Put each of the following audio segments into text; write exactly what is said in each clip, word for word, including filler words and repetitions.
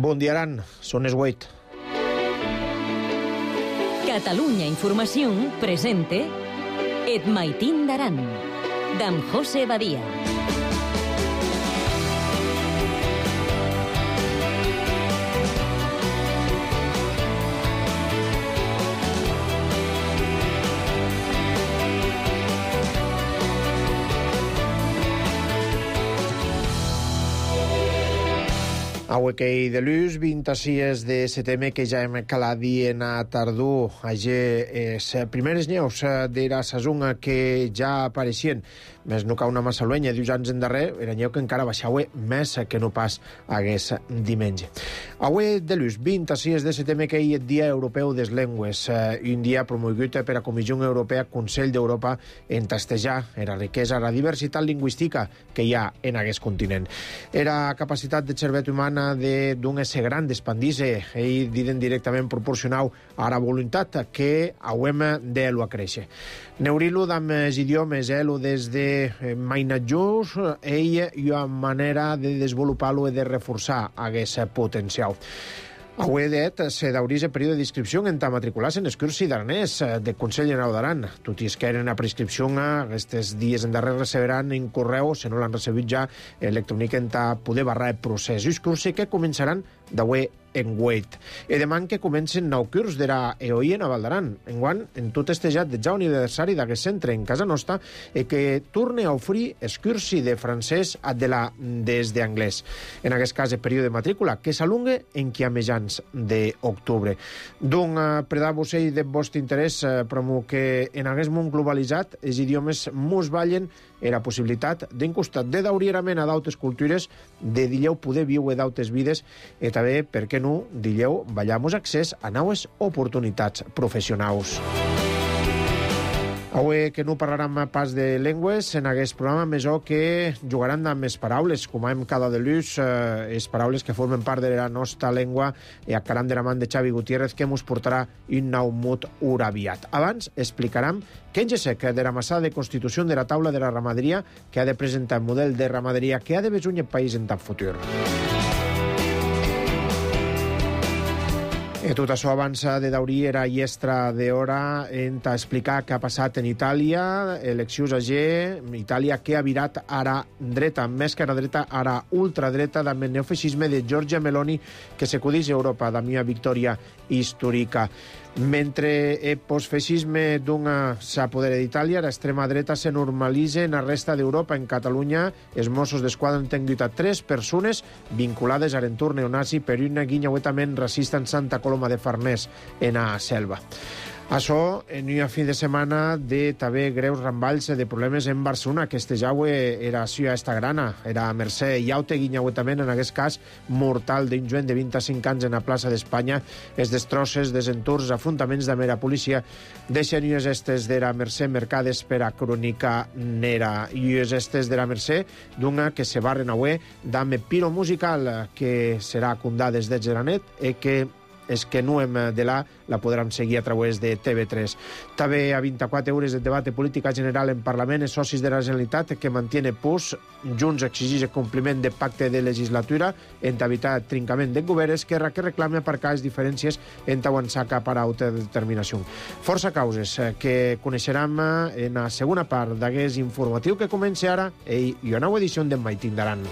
Bon dia, Aran. Són les vuit. Catalunya Informació presente Et Maitín d'Aran, d'en José Badia. Avui que hi de l'ús, vint-i-sis de setembre, que ja hem calat dient a tardor, allà les primeres neus d'era sazonga que ja apareixien, més no cau una massa luenya, dius anys endarrer, era neu que encara baixava més que no pas hagués diumenge. Avui de l'ús, vint-i-sis de setembre, que hi és Dia Europeu des Llengües, un dia promogut per a Comissió Europea, Consell d'Europa, en testejar la riquesa, la diversitat lingüística que hi ha en aquest continent. Era capacitat de cervesa humana de d'un ésser gran d'expandir-se i diden directament proporcional a la voluntat que hauem d'elo a créixer. Neurilo amb els idiomes, elo des de mainatjos, ell hi ha manera de desenvolupar-lo i de reforçar aquest potencial. Avui dit, se d'obrir el període d'inscripció en ta matricular-se en el curs d'aranès de Consell General d'Aran. Tot i es que eren a prescripció, aquests dies en darrer receberan en correu, si no l'han recebut ja, electrònic en ta poder barrar el procés. Els cursos que començaran d'avui en Wait. I deman que comencen nou curs d'era E O I en a Val d'Aran. Enguant, en tot estejat de ja aniversari d'aquest centre en casa nostra i que torne a oferir el curs de francès de la des d'anglès. En aquest cas, el període de matrícula, que s'alungue en qui a mitjans d'octubre. D'un predar-vos ell de vostre interès, promo que en aquest món globalitzat els idiomes mos ballen era possibilitat d'un costat de daurierament a d'autes cultures, de dilleu poder viure d'autes vides i també, per què no, dilleu ballamos accés a noves oportunitats professionals. Avui que no parlarem pas de llengües, en aquest programa més o que jugaran amb les paraules, com hem cada de l'ús, eh, les paraules que formen part de la nostra llengua, i a caram de la mà de Xavi Gutiérrez, que ens portarà un nou mot uraviat. Abans explicarem que en gesec de la massada de constitució de la taula de la ramaderia, que ha de presentar un model de ramaderia que ha de besar el país en tant futur. I tot això avança de daurir era iestra d'hora en explicar què ha passat en Itàlia, eleccions a G, Itàlia que ha virat ara dreta, més que ara dreta, ara ultradreta, amb el neofeixisme de Giorgia Meloni, que s'acudeix a Europa, de mia victòria històrica. Mentre el postfeixisme d'una s'apodera d'Itàlia, l'extrema dreta se normalitza en la resta d'Europa. En Catalunya, els Mossos d'Esquadra han tingut a tres persones vinculades a l'entorn neonazi per una guinyauetament racista en Santa Coloma de Farners, en a Selva. Això en un fi de setmana de també greus ramballs de problemes en Barcelona, que este jaue era ciutat esta grana, era a Mercè i aute guinyauetament, en aquest cas mortal d'un joven de vint-i-cinc anys en la plaça d'Espanya, els destrosses, desenturs, afrontaments de mera policia, deixen ues estes de la Mercè mercades per a crònica nera, i ues estes de la Mercè d'una que se barren avui d'ame piro musical que serà condada des de Geranet i que és que no hem de la, la podrem seguir a través de T V tres. També a vint-i-quatre hores de debat de política general en Parlament, els socis de la Generalitat que mantiene pus, Junts exigeix el compliment de pacte de legislatura en evitar trincament de govern, Esquerra que reclama aparcar les diferències en avançar cap a autodeterminació. Força causes que coneixerem en la segona part d'aquest informatiu que comença ara i una nova edició d'en Maitín d'Aran.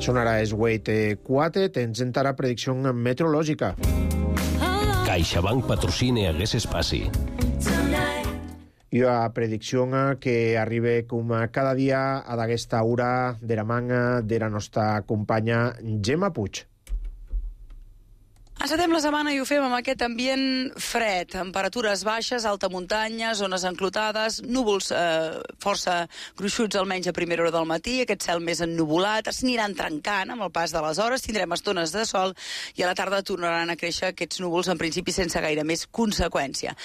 Sonarà es vuit quatre, tens encara predicció meteorològica. CaixaBank patrocina aquest espai. I a predicció que arriba com cada dia a d'aquesta hora de la manga de la nostra companya Gemma Puig. Encetem la setmana i ho fem amb aquest ambient fred, temperatures baixes, alta muntanya, zones enclotades, núvols eh, força gruixuts almenys a primera hora del matí, aquest cel més ennuvolat, es aniran trencant amb el pas de les hores, tindrem estones de sol i a la tarda tornaran a créixer aquests núvols en principi sense gaire més conseqüència.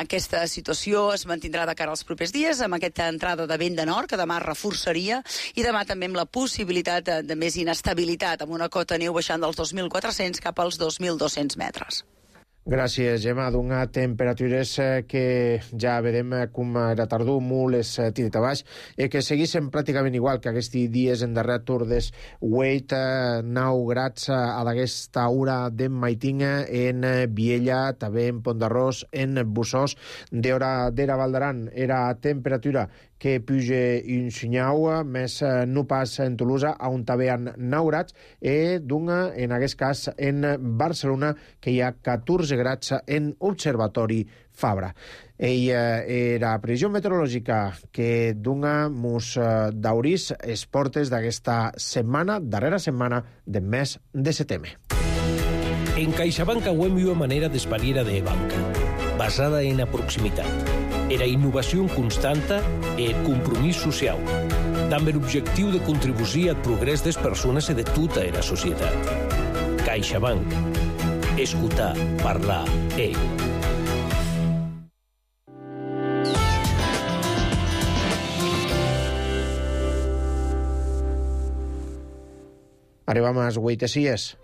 Aquesta situació es mantindrà de cara als propers dies amb aquesta entrada de vent de nord que demà reforçaria i demà també amb la possibilitat de, de més inestabilitat amb una cota neu baixant dels dos mil quatre-cents cap als dos mil dos-cents metres. Gràcies, Gemma. D'una temperatures que ja vedem com era tardor, molt és tiret a baix, i que seguissin pràcticament igual que aquests dies en darrer tour des vuit, nou grads a d'aquesta hora de Maitinga, en Viella, també en Pont d'Arròs, en Bussós, d'hora d'era Valdaran. Era temperatura que puja un senyau, més no pas en Tolosa, on també hi ha nou grads, i d'una, en aquest cas, en Barcelona, que hi ha catorze grads en Observatori Fabra. Ella era previsió meteorològica que d'una mos daurís els portes d'aquesta setmana, darrera setmana del mes de setembre. En CaixaBank auem una manera d'espariera de banca, basada en la proximitat, era innovació constanta i compromís social, amb l'objectiu de contribuir al progrés des persones i de tota la societat. CaixaBank. Escoltar, parlar, eh. Arribam a les huitesies.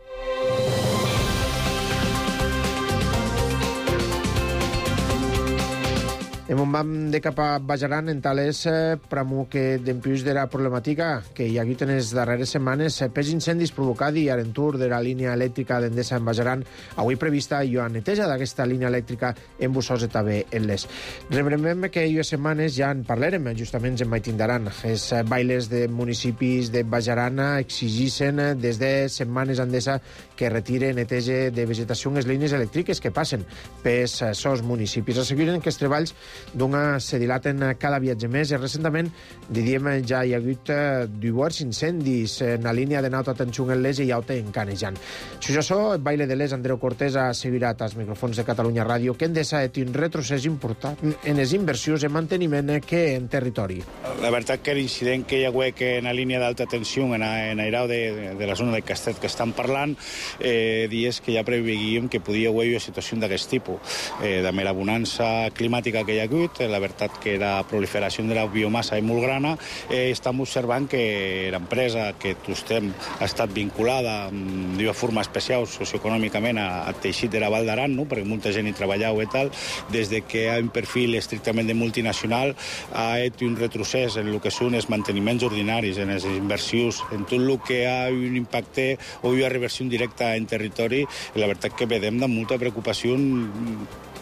En un vam de cap a Bajaran, en tales eh, pramu que d'empius de la problemàtica que hi ha hagut en les darreres setmanes eh, pels incendis provocats i a l'entur de la línia elèctrica d'Endesa en Bajaran, avui prevista i a neteja d'aquesta línia elèctrica en Bussós i també en les. Rebremem que aquestes setmanes ja en parlarem justament en Maitindaran. Els bailes de municipis de Bajaran exigissin des de setmanes Endesa que retire neteja de vegetació en les línies elèctriques que passen pels sos municipis. Asseguren que els treballs d'una se dilaten cada viatge més i recentament, diríem, ja hi ha hagut diversos incendis en la línia de alta tensió en l'Es i alta en Canejan. Si jo so, el baile de l'Es, Andreu Cortés ha assegurat als microfons de Catalunya Ràdio que Endesa ha un retrocés important en les inversions en manteniment que en territori. La veritat que l'incident que hi ha hagut en la línia d'alta tensió en airau de, de la zona de Castet que estan parlant, eh, dies que ja preveguíem que podia haver una situació d'aquest tipus. Eh, de la bonança climàtica que hi ha hagut, la veritat que la proliferació de la biomassa és molt grana, eh, estem observant que l'empresa que tostem ha estat vinculada d'una forma especial socioeconòmicament al teixit de la Val d'Aran, no? Perquè molta gent hi treballava i tal, des de que hi ha un perfil estrictament de multinacional ha fet un retrocés en el que són els manteniments ordinaris, en les inversions, en tot el que hi ha un impacte o una reversió directa en territori. La veritat que vedem de molta preocupació.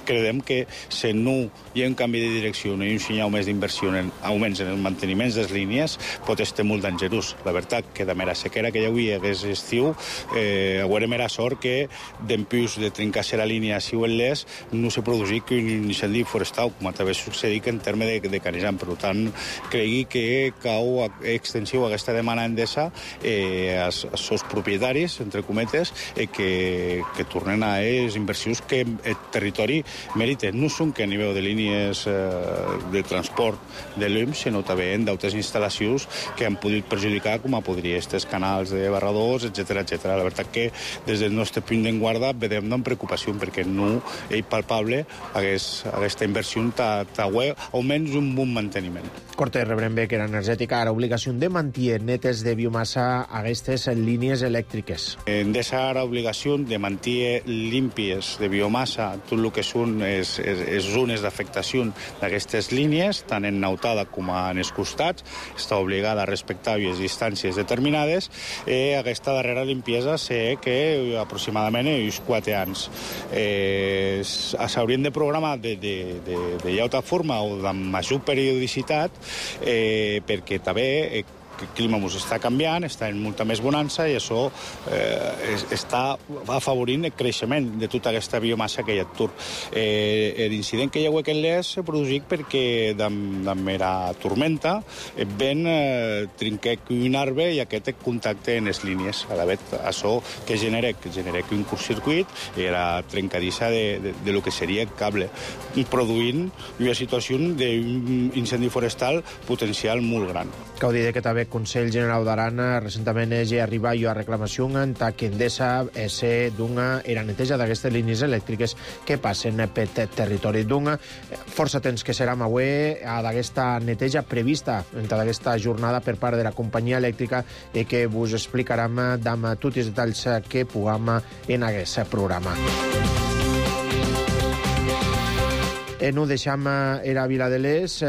Credem que si no hi ha un canvi de direcció, no hi ha un senyal més d'inversió en augments en els manteniments de les línies, pot estar molt dangerós. La veritat que de mera sequera que hi havia hagués estiu, eh, haurem era sort que d'empius de trincar-se la línia si o en l'Es no se produïi que un incendi forestal, com també succeït en terme de, de Canejan. Per tant, cregui que cau extensiu aquesta demanda Endesa eh, als, als seus propietaris, entre cometes, eh, que, que tornen a les inversions que el territori merita. No són que a nivell de línies eh, de transport de l'U M, sinó també en d'altres instal·lacions que han pogut perjudicar, com a podria estos canals de barradors, etcètera, etcètera. La veritat que des del nostre punt de guarda vedem amb preocupació perquè no és palpable hagués, aquesta inversió t'agüe almenys un bon manteniment. Corte, rebrem bé que era energètica, ara obligació de mantenir netes de biomassa a aquestes línies elèctriques. Endesa ara obligació de mantenir límpies de biomassa tot el que són les zones d'afectació d'aquestes línies, tant en nautada com en els costats, està obligada a respectar les distàncies determinades i aquesta darrera limpiesa sé que aproximadament uns quatre anys. Eh, S'haurien de programar de, de, de, de llauta forma o de major periodicitat eh, perquè també eh, el clima ens està canviant, està en molta més bonança i això eh, està afavorint el creixement de tota aquesta biomassa que hi ha tur. Eh, L'incident que hi ha hagut en l'Es s'ha produït perquè d'am era tormenta ben eh, trinquec un arbre i aquest contacte en les línies. A la vegada, això que genera, que genera un curtcircuit era trencadissa de, de, de lo que seria el cable, produint una situació d'un incendi forestal potencial molt gran. Cau dir que també el Consell General d'Aran recentment és arribar a reclamació en que Endesa és d'una era neteja d'aquestes línies elèctriques que passen per territori d'una. Força temps que serà avui d'aquesta neteja prevista en aquesta jornada per part de la companyia elèctrica i que vos explicarem amb tots els detalls que puguem en aquest programa. Eh, no deixam era Vila de l'Es. Eh,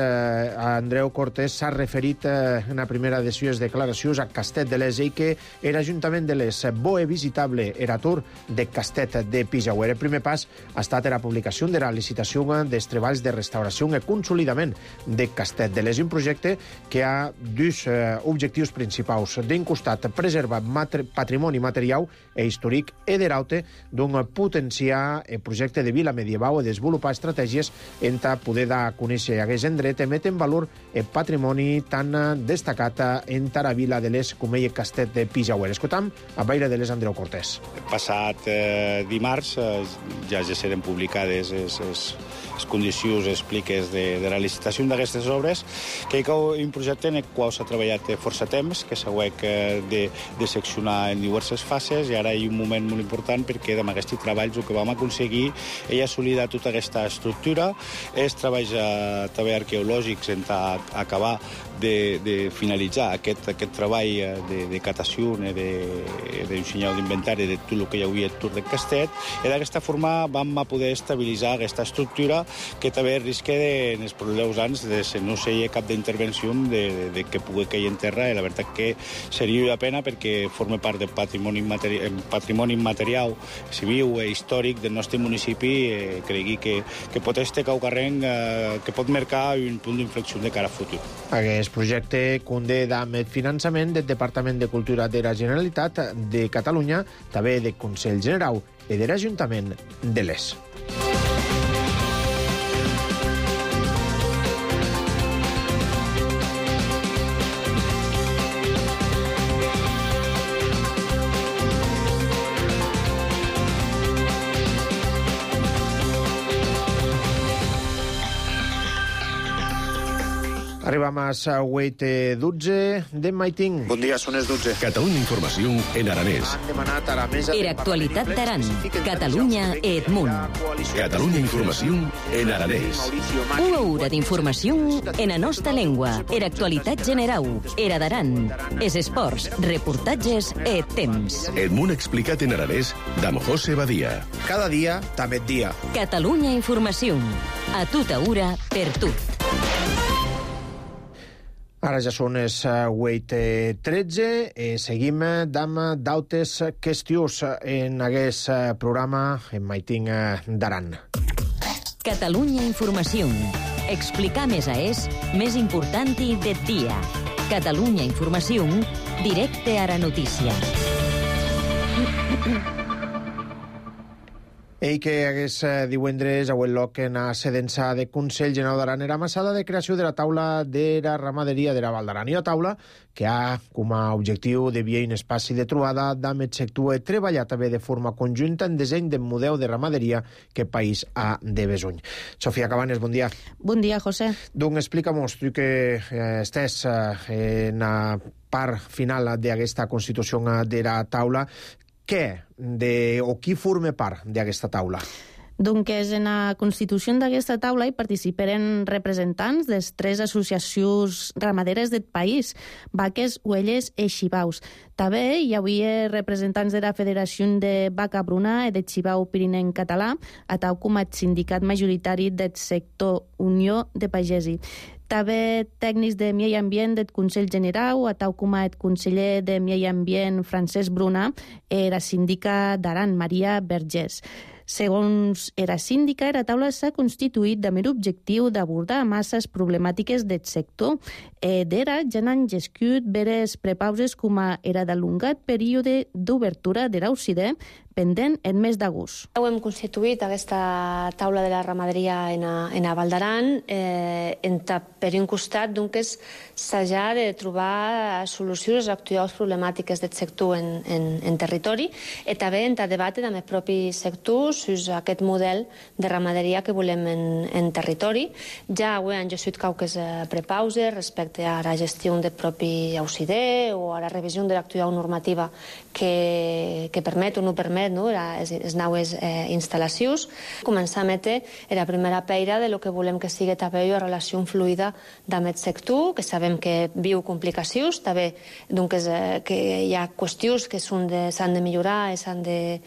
Andreu Cortés s'ha referit eh, en la primera de les declaracions a Castet de l'Es i que era Ajuntament de l'Es bo e visitable era tour de Castet de Pijauer. El primer pas ha estat la publicació de la licitació dels treballs de restauració i consolidament de Castet de l'Es, un projecte que ha dos eh, objectius principals. D'un costat, preservar matri patrimoni material e històric e d'eraute d'un potenciar el projecte de vila medieval i desenvolupar estratègies en poder dar a conèixer aquest indret i metre en valor el patrimoni tan destacat en la Vila de l'Es com el Castet de Pijauer. Escoltam a Baire de l'Es Andreu Cortés. Passat eh, dimarts eh, ja ja seran publicades les, les, les condicions expliques de, de la licitació d'aquestes obres, que hi ha un projecte en el qual s'ha treballat força temps, que s'ha hagut de, de seccionar en diverses fases, i ara hi ha un moment molt important perquè amb aquests treballs el que vam aconseguir és assolir tota aquesta estructura, és treballs eh, també arqueològics en acabar de, de finalitzar aquest, aquest treball de, de catació, d'un senyal d'inventari de tot el que hi havia al Tour de Castet, i d'aquesta forma vam poder estabilitzar aquesta estructura que també risca de, en els propers anys de no ser cap d'intervenció de, de, de que pugui cair en terra, i la veritat que seria una pena perquè forma part del patrimoni, materi patrimoni material civil i històric del nostre municipi. Eh, cregui que, que pot estar caucarrent, eh, que pot marcar un punt d'inflexió de cara a futur. Aquest projecte conté amb el finançament del Departament de Cultura de la Generalitat de Catalunya, també del Consell General i de l'Ajuntament de l'Es. Arribam a les vuit i dotze de Maiting. Bon dia, són les dotze. Catalunya Informació en aranès. Han demanat a la mesa... Era actualitat d'Aran, Catalunya e Edmunt. Catalunya Informació en aranès. Una hora d'informació en la nostra llengua. Era actualitat general. Era d'Aran. Es esports, reportatges e temps. Edmunt explicat en aranès d'Am José Badia. Cada dia, també dia. Catalunya Informació. A tota hora, per tot. Ara ja són les vuit i tretze i seguim amb d'altres qüestions en aquest programa en Maiting d'Aran. Catalunya Informació. Explicar més a és més important i del dia. Catalunya Informació, directe a la notícia. Ell que hagués divendres a Huelloc en la sedença de Consell General d'Aran era amassada de creació de la taula de la ramaderia de la Val d'Aran. I la taula que ha com a objectiu de via un espaci de trobada amb el sector i treballar també de forma conjunta en disseny del model de ramaderia que el país ha de besuny. Sofia Cabanes, bon dia. Bon dia, José. Donc explica-mos, tu que eh, estàs eh, en la part final d'aquesta constitució de la taula, què de, o qui forma part d'aquesta taula? Doncs en la constitució d'aquesta taula hi participaran representants de tres associacions ramaderes del país, vaques, ovelles i xivaus. També hi havia representants de la Federació de Vaca Bruna i de Xivau Pirinenc Català, a tal com el sindicat majoritari del sector Unió de Pagesi. També tècnics de Medi Ambient del Consell General, a tal com el conseller de Medi Ambient Francesc Bruna i la síndica d'Aran, Maria Vergés. Segons era síndica, era taula s'ha constituït amb l'objectiu d'abordar masses problemàtiques del sector. E d'era ja n'han gescut veres prepauses com a era d'allongat període d'obertura de l'A U C D pendent en mes d'agost. Hem constituït aquesta taula de la ramaderia en a, en a Val d'Aran eh, per un costat que s'ha de trobar solucions a actuals problemàtiques del sector en, en, en territori i també en a debatre amb el propi sector sobre aquest model de ramaderia que volem en, en territori. Ja ho han gesut cauques prepauses respecte a la gestió del propi A U C D o a la revisió de l'actual normativa que, que permet o no permet no? les, les noves eh, instal·lacions. Començar a metre la primera peira de lo que volem que sigui també una relació fluida amb el sector, que sabem que viu complicacions, també doncs, eh, que hi ha qüestions que s'han de, de millorar i s'han de,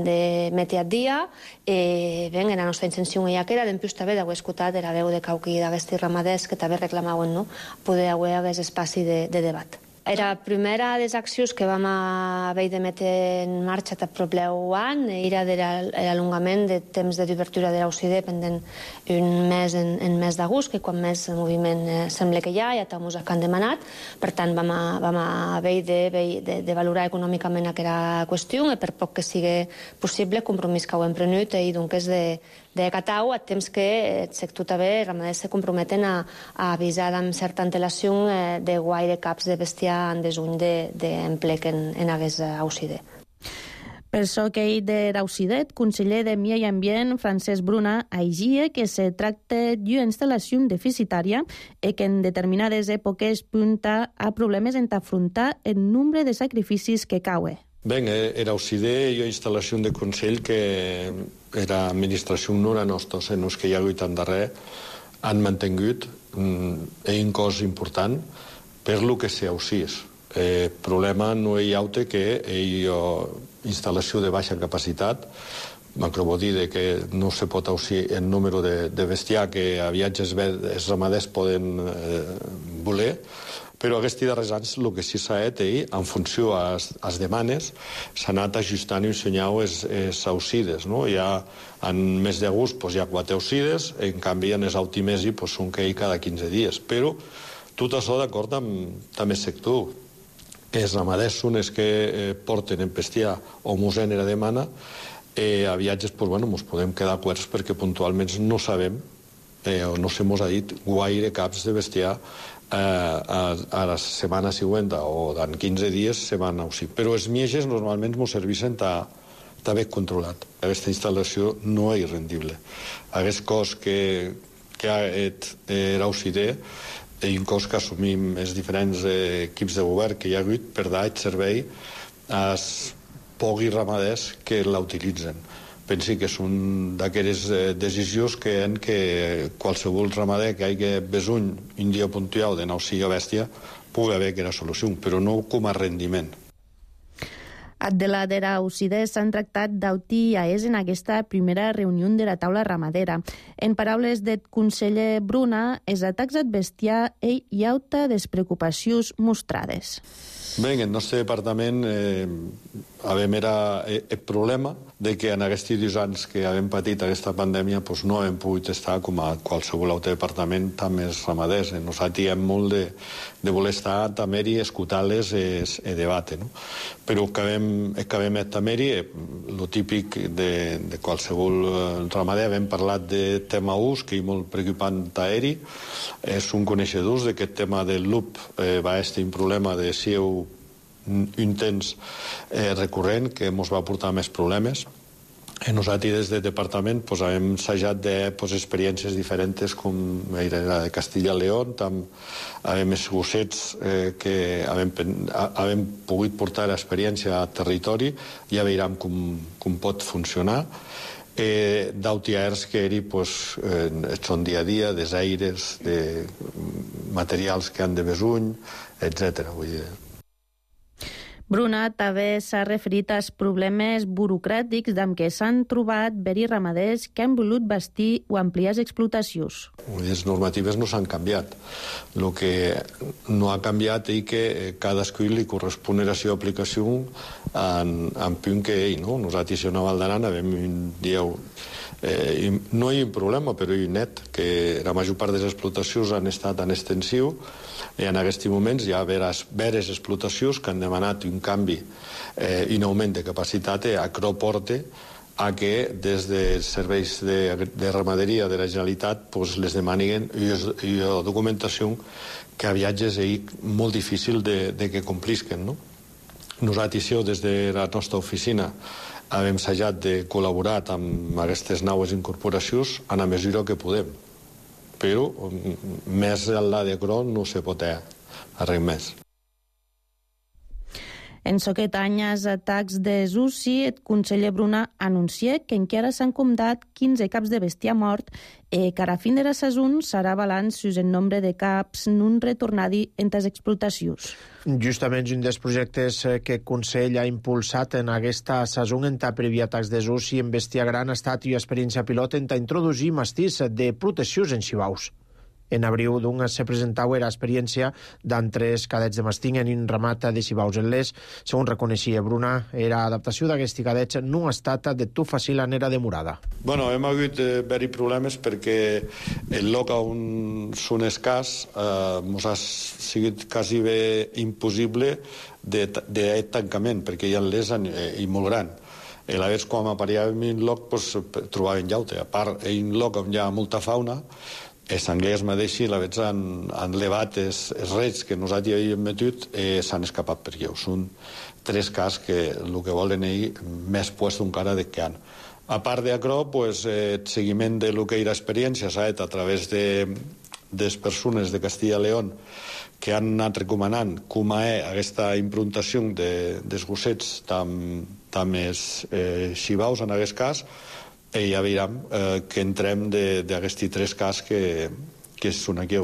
de metre a dia. Eh, ben, la nostra intenció ja que era d'empius també d'haver escoltat la veu de cauqui d'aquests ramaders que també reclamaven no? poder haver aquest espaci de, de debat. La primera de les accions que vam haver de metre en marxa a prop d'un era l'allongament de temps d'obertura de l'A U C D pendent un mes en, en mes d'agost, que quan més moviment eh, sembla que hi ha, ja també que han demanat. Per tant, vam, a, vam haver de, de, de valorar econòmicament aquesta qüestió i per poc que sigui possible, compromís que ho hem prenut i doncs és de de catau a temps que el sector també ramaders se comprometen a, a avisar amb certa antelació eh, de guaire caps de bestiar en desuny d'emplec de, en, en aquest A U C D. Per això que ell de l'A U C D, conseller de Medi Ambient, Francesc Bruna, aigia que se tracta d'una instal·lació deficitària i que en determinades èpoques punta a problemes en afrontar el nombre de sacrificis que cauen. Ben, era U C D i una instal·lació de Consell que era administració nora nostra, en els que hi ha hagut en darrer, han mantingut un cost important per lo que se ausís. El problema no hi ha que hi ha instal·lació de baixa capacitat, macro vol dir que no se pot ausir el número de, de bestiar que a viatges els ramaders poden eh, voler, però aquests darrers anys el que sí s'ha fet ell, en funció a les demanes, s'ha anat ajustant i ensenyant els aucides. No? Ja en mes d'agost pues, hi ha quatre aucides, en canvi en els autimesi pues, són que cada quinze dies. Però tot això d'acord amb, amb el sector. Els ramaders són els que eh, porten en bestiar o mos genera demana, eh, a viatges pues, bueno, mos podem quedar quarts perquè puntualment no sabem eh, o no se mos ha dit guaire caps de bestiar Eh, a, a la setmana següent o en quinze dies se van ausir. Però els mieges normalment ens serveixen d'haver controlat. Aquesta instal·lació no és rendible. Aquest cost que, que ha l'A U C D i un cost que assumim els diferents eh, equips de govern que hi ha hagut per dar el servei als pocs ramaders que la utilitzen. Pensi que són d'aquelles decisions que en que qualsevol ramader que hagi besuny un dia puntual de nausia bèstia pugui haver aquesta solució, però no com a rendiment. De la de l'A U C D s'han tractat d'auti a és en aquesta primera reunió de la taula ramadera. En paraules del conseller Bruna, els atacs al bestiar hi ha despreocupacions mostrades. Bé, en el nostre departament eh, havem era el problema de que en aquests dos anys que havem patit aquesta pandèmia pues no hem pogut estar com a qualsevol altre departament amb els ramaders. Nosaltres hem molt de, de voler estar també i escoltar-les i debatre. No? Però el que hem, el que hem també, el típic de, de qualsevol ramader, hem parlat de tema ús, que és molt preocupant aeri. Eh, són coneixedors d'aquest tema del loop. Eh, va estar un problema de si heu un temps eh, recurrent que ens va portar més problemes. Eh, nosaltres des del departament pues, hem ensajat de pues, experiències diferents com la de Castilla i León, amb els gossets eh, que havem, havem pogut portar l'experiència a territori, ja veurem com, com pot funcionar. Eh, d'autiaers que eri, pues, eh, són dia a dia, des aires, de materials que han de besuny, etcètera. Vull dir. Bruna també s'ha referit als problemes burocràtics amb què s'han trobat veri ramaders que han volut bastir o ampliar les explotacions. Les normatives no s'han canviat. El que no ha canviat és que cadascú li correspon la seva aplicació en, en punt que ell, no? Nosaltres a Vall d'Aran vam un dia... Eh, no hi ha un problema, però hi ha net, que la major part de les explotacions han estat en extensiu i en aquests moments hi ha veres, veres explotacions que han demanat un canvi eh, i un augment de capacitat a Acro porte a que des dels serveis de, de ramaderia de la Generalitat pues, les demanin i, i la documentació que a viatges és molt difícil de, de que complisquen, no? Nosaltres, des de la nostra oficina, hem assajat de col·laborar amb aquestes noves incorporacions en la mesura que podem. Però més enllà de Acro no se pot fer res més. En aquest any, els atacs de Zusi, el conseller Bruna anuncia que encara s'han comptat quinze caps de bestiar mort i que a la fin de la saison serà balanç sus el nombre de caps non retornadi entre les explotacions. Justament un dels projectes que el Consell ha impulsat en aquesta saison en previ atacs de Zusi en bestiar gran ha estat una experiència pilot en introduir mastís de proteccions en xivaus. En abril d'un se presentava l'experiència d'entres cadets de masting en un ramat de xivaus en les. Segons reconeixia Bruna, era adaptació d'aquests cadets no ha estat de tot fàcil en era demorada. Bueno, hem hagut eh, haver-hi problemes perquè el lloc on són escàs eh, ens ha sigut quasi bé impossible de, de tancament, perquè hi ha les eh, i molt gran. I a vegades quan aparèiem en un lloc pues, trobàvem llaute. A part, en un lloc on hi ha molta fauna, els anglès mateixos l'avets han, han levat els, els rets que nosaltres havíem metut i s'han escapat per lleu. Són tres cas que el que volen ells més puesto encara de que han. A part d'Acro, pues, el seguiment de lo que era experiència s'ha fet a través de les persones de Castilla i León que han anat recomanant com és aquesta improntació de, dels gossets amb els eh, xivaus en aquest cas, i ja veurem eh, que entrem d'aquests tres cas que, que són aquí.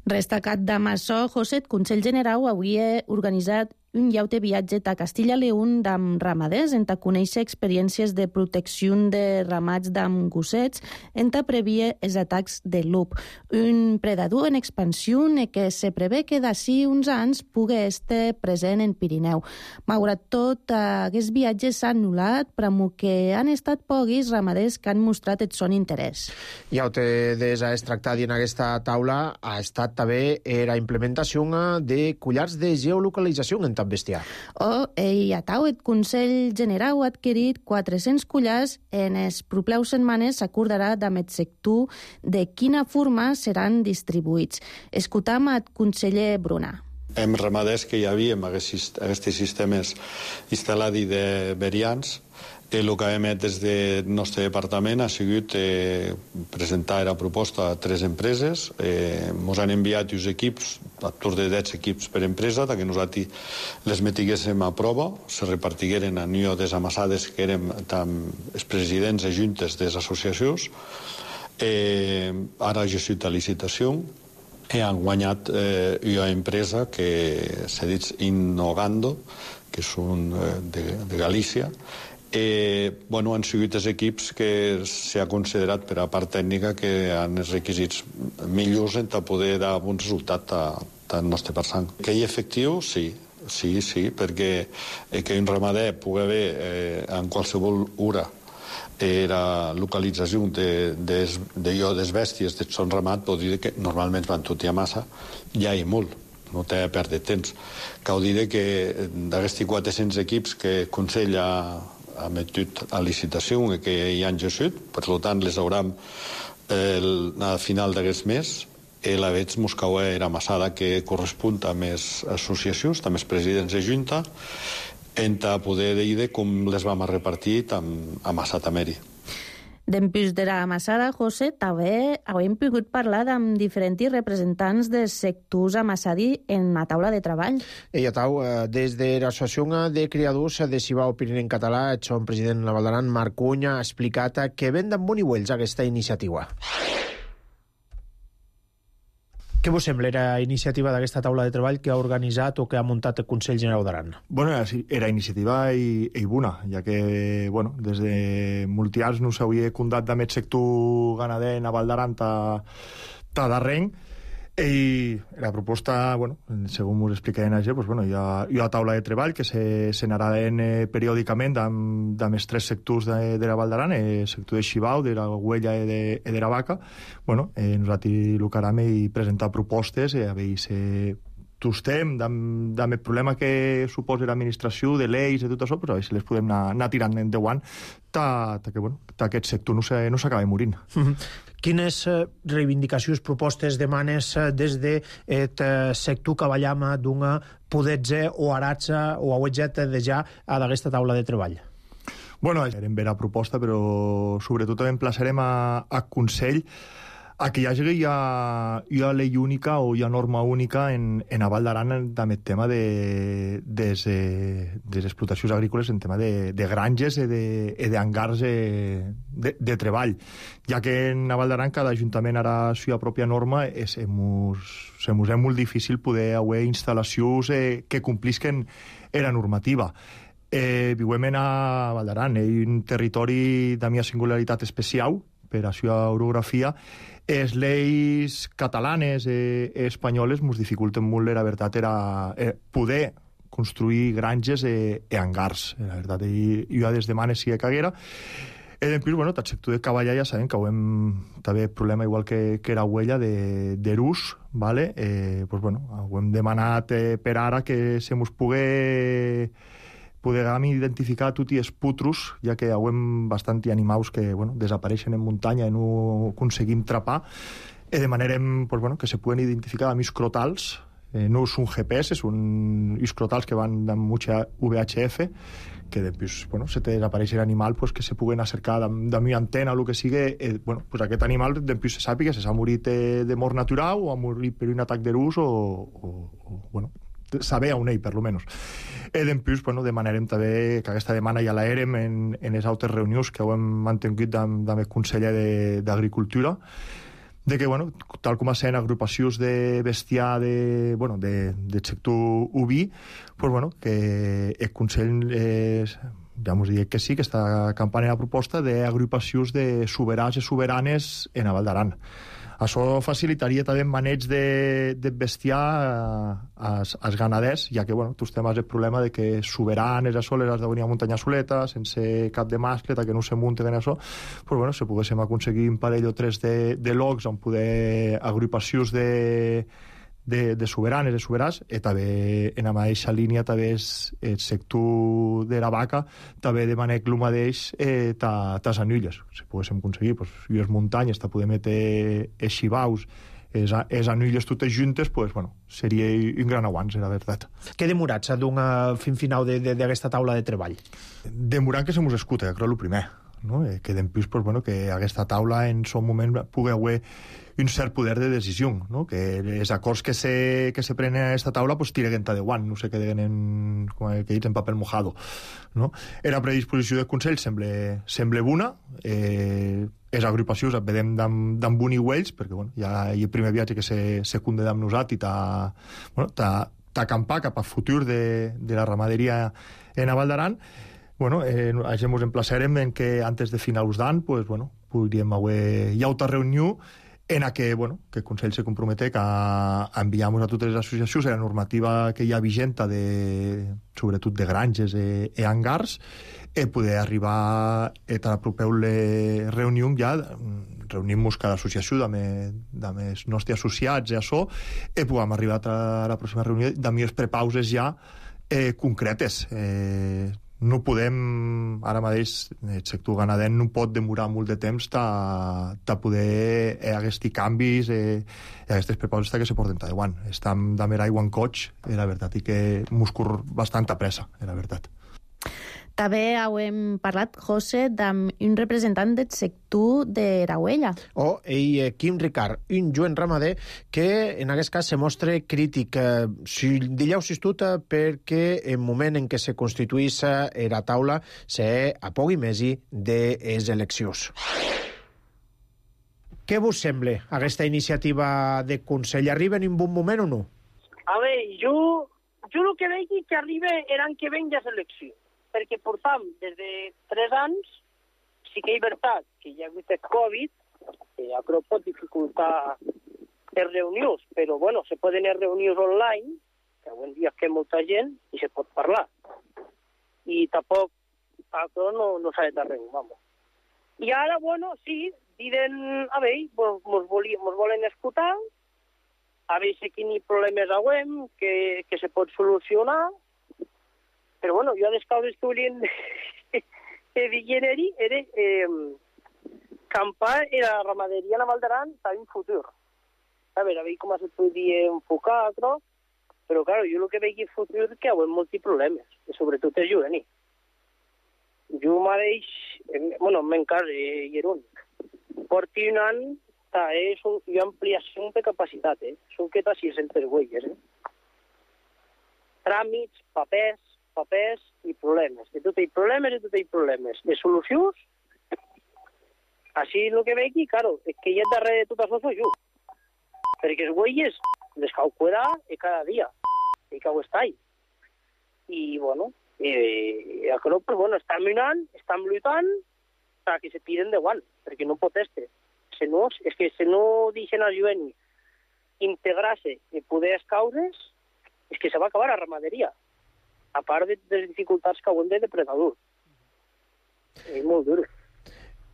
Destacat de Massó, José, el Consell General havia organitzat un llaute viatge a Castilla i León amb ramaders en ta conèixer experiències de protecció de ramats d'amb gossets en ta previa els atacs de lup. Un predador en expansió que se prevé que d'ací uns anys pugui estar present en Pirineu. Malgrat tot, aquests viatges s'han anul·lat, però que han estat pocs ramaders que han mostrat el son interès. Llaute des ha tractat en aquesta taula ha estat també la implementació de collars de geolocalització en bestiar. O, i a tau, el Consell General ha adquirit quatre-cents collars en les properes setmanes s'acordarà amb el sector de quina forma seran distribuïts. Escoltam el conseller Bruna. Hem ramaders que hi havia amb aquests sistemes instal·lats de verians. El que hem fet des del nostre departament ha sigut eh, presentar la proposta a tres empreses. Eh, ens han enviat uns equips, a tour de deu equips per empresa, que nosaltres les metiguéssim a prova, se repartigueren a nio des amassades que érem els presidents i juntes de les associacions. Eh, ara ha sigut a licitació i han guanyat eh, una empresa que s'ha dit Innogando, que són eh, de, de Galícia. Eh, bueno, han sigut els equips que s'ha considerat per a part tècnica que han els requisits millors per poder dar bon resultat al nostre passant. Que hi ha efectiu? Sí, sí, sí, perquè eh, que un ramader pugui haver eh, en qualsevol hora eh, la localització de, de, de, de les bèsties de son ramat pot dir que normalment van tot i a massa, ja hi ha molt. No té a perdre temps. Cal dir que d'aquests quatre-cents equips que el Consell ha ha metut a licitació que hi han gesut, per tant les haurem eh, al final d'aquest mes i la veig Moscou era massada que correspon a més associacions, a més presidents de Junta, en poder dir com les vam repartir amb, amb Massatameri. Dempús de la Massada, José, també hem pogut parlar amb diferents representants dels sectors amassadi en la taula de treball. I a tau, des de l'Associació de Criadors de Cibau Pirineu en català, el seu president de la Vall d'Aran, Marc Cunya, ha explicat que ven d'en boniuells aquesta iniciativa. Què vos sembla la iniciativa d'aquesta taula de treball que ha organitzat o que ha muntat el Consell Generau d'Aran? Bueno, era iniciativa i, i bona, ja que, bueno, des de molts anys no s'havia condat amb el sector ganader en Val d'Aran ta, ta darrere, i la proposta, bueno, segons us explicarem allà, pues, bueno, hi ha, hi ha taula de treball que se, se n'anaran eh, periòdicament amb, amb els tres sectors de, de la Val d'Aran, el sector de Xibau, de la Huella i de, de la Vaca. Bueno, eh, nosaltres el que anem i presentar propostes, eh, a veure si tostem amb, amb el problema que suposa l'administració, de lleis i tot això, però a veure si les podem anar, anar tirant endavant ta, ta que, bueno, ta aquest sector no s'acabi no morint. Mm-hmm. Quines reivindicacions, propostes, demanes des de el sector cavallam d'una poder-se o aratge o auetget de ja a d'aquesta taula de treball? Bueno, hem vera proposta, però sobretot emplaçarem a, a Consell a que hi hagi hi ha, hi ha llei única o hi ha norma única en, en Val d'Aran amb el tema de, de, de les explotacions agrícoles, en tema de, de granges i d'hangars de, de, de treball, ja que en Val d'Aran cada ajuntament ara la seva pròpia norma és, se mos és molt difícil poder haver instal·lacions eh, que complisquen la normativa. Eh, vivem a Val d'Aran, és un territori de la singularitat especial per a la seva orografia. Les lleis catalanes i eh, espanyoles ens dificulten molt, la veritat, era eh, poder construir granges i eh, eh, hangars. La veritat, i, i jo des de manes si caguera. I després, bueno, el sector de cavallar ja sabem que ho hem també problema igual que, que era Huella de, de l'ús, vale? eh, pues, bueno, ho hem demanat eh, per ara que se mos pugui podem identificar tots els putros, ja que hi ha bastant animals que bueno, desapareixen en muntanya i no aconseguim trapar, i demanarem pues, bueno, que se puguen identificar amb iscrotals, eh, no són G P S, són iscrotals que van amb V H F, que després, bueno, se te desapareix l'animal, pues, que se puguen acercar de mi antena o el que sigui, eh, bueno, pues, aquest animal després se sàpiga si s'ha morit eh, de mort natural o ha morit per un atac de rus o, o, o bueno, saber on ell, per lo menos. I després, bueno, demanarem també, que aquesta demana ja l'érem en, en les altres reunions que ho hem mantingut amb, amb el conseller d'Agricultura, de que, bueno, tal com sent agrupacions de bestiar de, bueno, de, de sector oví, pues, bueno, que el Consell eh, ja m'ho dic que sí, que està campant en la proposta d'agrupacions de soberans i soberanes en Val d'Aran. Això facilitaria també el maneig de, de bestiar als, als ganaders, ja que, bueno, tu temes el problema de que soberanes a soles has de venir a muntanya soleta, sense cap de mascle, que no se munten en això, però, bueno, si poguéssim aconseguir un parell o tres de, de locs on poder agrupacions de, de, de soberanes, de soberans, i també en la mateixa línia també és el sector de la vaca, també demanem el mateix eh, ta, tas anilles. Si poguéssim aconseguir, pues, i les muntanyes, ta poder metre els xivaus, les anilles totes juntes, pues, bueno, seria un gran avanç, la veritat. Què demorat s'ha d'un fin final d'aquesta taula de treball? Demorat que se mos escuta, crec, el primer. No? Eh, que després, pues, bueno, que aquesta taula en son moment pugui haver un cert poder de decisió, no? Que els acords que se, que se prenen a aquesta taula pues, tireguen de guant, no se queden en, com que dic, en paper mojado, no? Era predisposició del Consell, sembla, sembla bona, eh, les agrupacions et vedem d'en bon i ells, perquè bueno, ja hi ha el primer viatge que se, se conde amb nosaltres i t'ha bueno, acampar cap al futur de, de la ramaderia en Val d'Aran. Bueno, eh, això ens emplaçarem en que antes de finals d'any pues, bueno, podríem haver... Hi ha altra reunió en la que, bueno, que el Consell se compromete a enviar a totes les associacions la normativa que hi ha vigent de, sobretot de granges i, i hangars, i poder arribar a la propera reunió ja, reunim-nos cada associació amb els nostres associats i això, i podem arribar a la pròxima reunió amb les prepauses ja eh, concretes. Eh, no podem, ara mateix, el sector ganader no pot demorar molt de temps de poder eh, aquests canvis i eh, aquestes prepauses que se porten a davant. Estem de mer aigua en coig, i la veritat, i que mos cor bastanta pressa, la veritat. També hem parlat, José, amb un representant del sector de la Huella. O ell, Quim Ricard, un joven ramader que en aquest cas se mostra crític. Si dillau s'estut perquè en moment en què se constituís la taula se apogui mesi de les eleccions. Què vos sembla aquesta iniciativa de Consell? Arriba en un bon moment o no? A veure, jo, jo el que veig que arriba l'any que ven ja és elecció, perquè portam des de tres anys, sí que és veritat que hi ha hagut el Covid, que ja crec pot dificultar les reunions, però bueno, se poden fer reunions online, que avui en dia que molta gent i se pot parlar. I tampoc això no, no s'ha de arreglar, vamos. I ara, bueno, sí, diuen, a veure, mos, mos volen escoltar, a veure si quins problemes haguem, que, que se pot solucionar, però bueno, jo les causes que volien que diguin era eh, campar i la ramaderia a Val d'Aran està en futur. A veure, a veure com se podria enfocar, però, però clar, jo el que veig en futur és que hi ha molts problemes, i sobretot és juvenil. Jo mateix, bueno, m'encara hi era un. Porti un any, és un, hi ha ampliació de capacitat, eh? Són que t'ha sis-centes huelles, eh? Tràmits, papers, papers i problemes. De tot hi problemes, de tot hi problemes. De solucions, així el que veig, claro, és que ja darrere de tot això soy jo. Perquè els huelles les cau cuidar i cada dia, i cau estar ahí. I, bueno, eh, però, pues, bueno, estem mirant, estem lluitant perquè se tiren de guant, perquè no pot estar. Si no, és que si no deixen al jovent integrar-se i poder les causes, és que se va acabar la ramaderia, a part de les dificultats que hauen de depredador. És molt dur.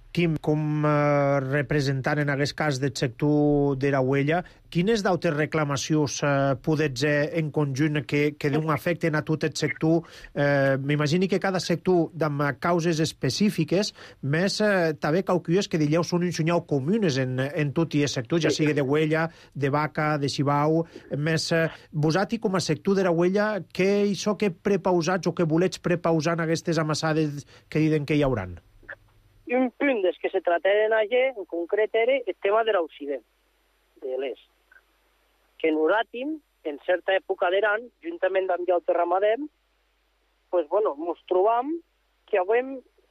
Quim, com eh, representant en aquest cas del sector de la huella, quines d'altres reclamacions eh, podets eh, en conjunt que, que d'un afecten a tot el sector? Eh, M'imagino que cada sector amb causes específiques, més eh, també cauquies que dieu són un senyal comunes en, en tot el sector, ja sigui de huella, de vaca, de xibau, més eh, vosaltres com a sector de la huella, què això que prepausats o que volets prepausar en aquestes amassades que diuen que hi hauran? Un punt des que se tractaren allà, en concret, era el tema de l'Occident, de l'est. Que nosaltres, en certa època d'Aran, juntament amb el ramadem, pues, bueno, ens trobam que avui,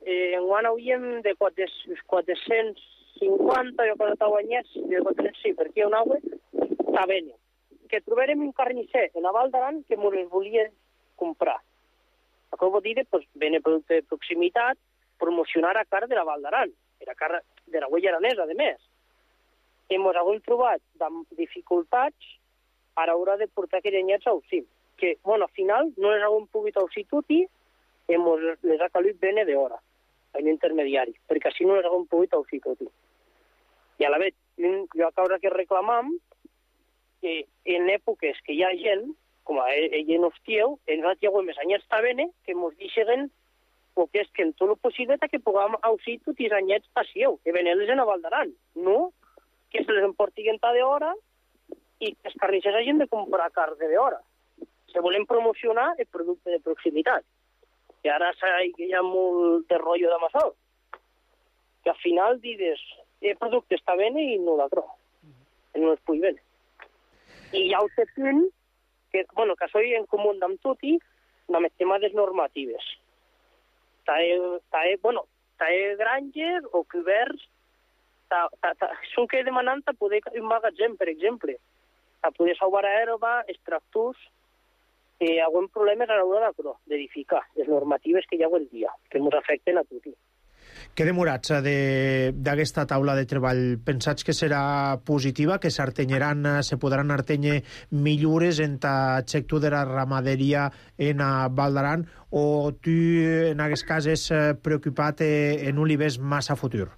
eh, en guany hauríem de quatre-cents cinquanta, jo quan estava anyats, de quatre-cents, sí, perquè hi ha un aigua, tabene. Que trobarem un carnisser en la Val d'Aran que ens les volia comprar. Això vol dir, pues, bene producte de proximitat, promocionar a cara de la Val d'Aran, a cara de la huella aranesa, a més. Hem hagut trobat dificultats a l'hora de portar aquells anyats a Usim, que, bueno, al final no les hagut pogut auxir tutti, hem les ha calut bene d'hora, en intermediari, perquè així no les hagut pogut auxir tutti. I a la vegada, jo a causa que reclamam, que en èpoques que hi ha gent, com a ell en hostieu, en nosaltres hi ha més anyats tabene, que ens deixen o que és que en tot el possible que puguem auxir tots els anyets passieu, que venen-les en la Val d'Aran, no? Que se les emportiguen ta d'hora i que els carnissers hagin de comprar carn d'hora. Se volen promocionar el producte de proximitat. I ara hi ha molt de rotllo de massó. Que al final dius, el producte està bé i no l'altre. No es pugui bé. I hi ha un punt que, bueno, que soy en comú amb tot i amb el tema de les normatives. Tae, bueno, tae granges o coberts, són que demanant a poder un magatzem, per exemple, a poder salvar a herba, extractors, que hi ha problemes a l'hora d'edificar, les normatives que hi ha avui dia, que ens afecten a tots. Què demorats d'aquesta taula de treball? Pensats que serà positiva, que s'artenyeran, se podran artenyer millores en el sector de la ramaderia en Val d'Aran, o tu en aquest cas és preocupat en un li ves massa futur?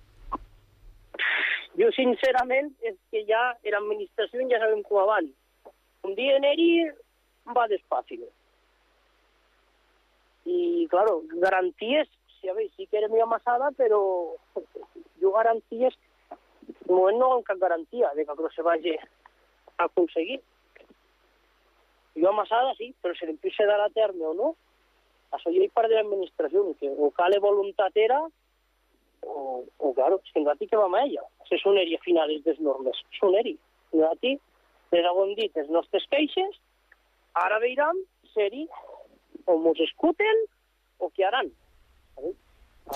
Jo, sincerament, és que ja l'administració ja sabem com abans. Un dia en ell va despàcil. I, claro, garanties, sí, a veure, sí que era molt amassada, però jo garanties, de moment no hi ha cap garantia de que això se vagi a aconseguir. Jo amassada, sí, però si l'empiece a dar a terme o no, això ja hi part de l'administració, que o cale voluntat era, o, o claro, és que nosaltres que vam a ella. Se soneria a finals des normes, soneria. Nosaltres les haguem dit les nostres queixes, ara veiram seri o mos escuten o què haran.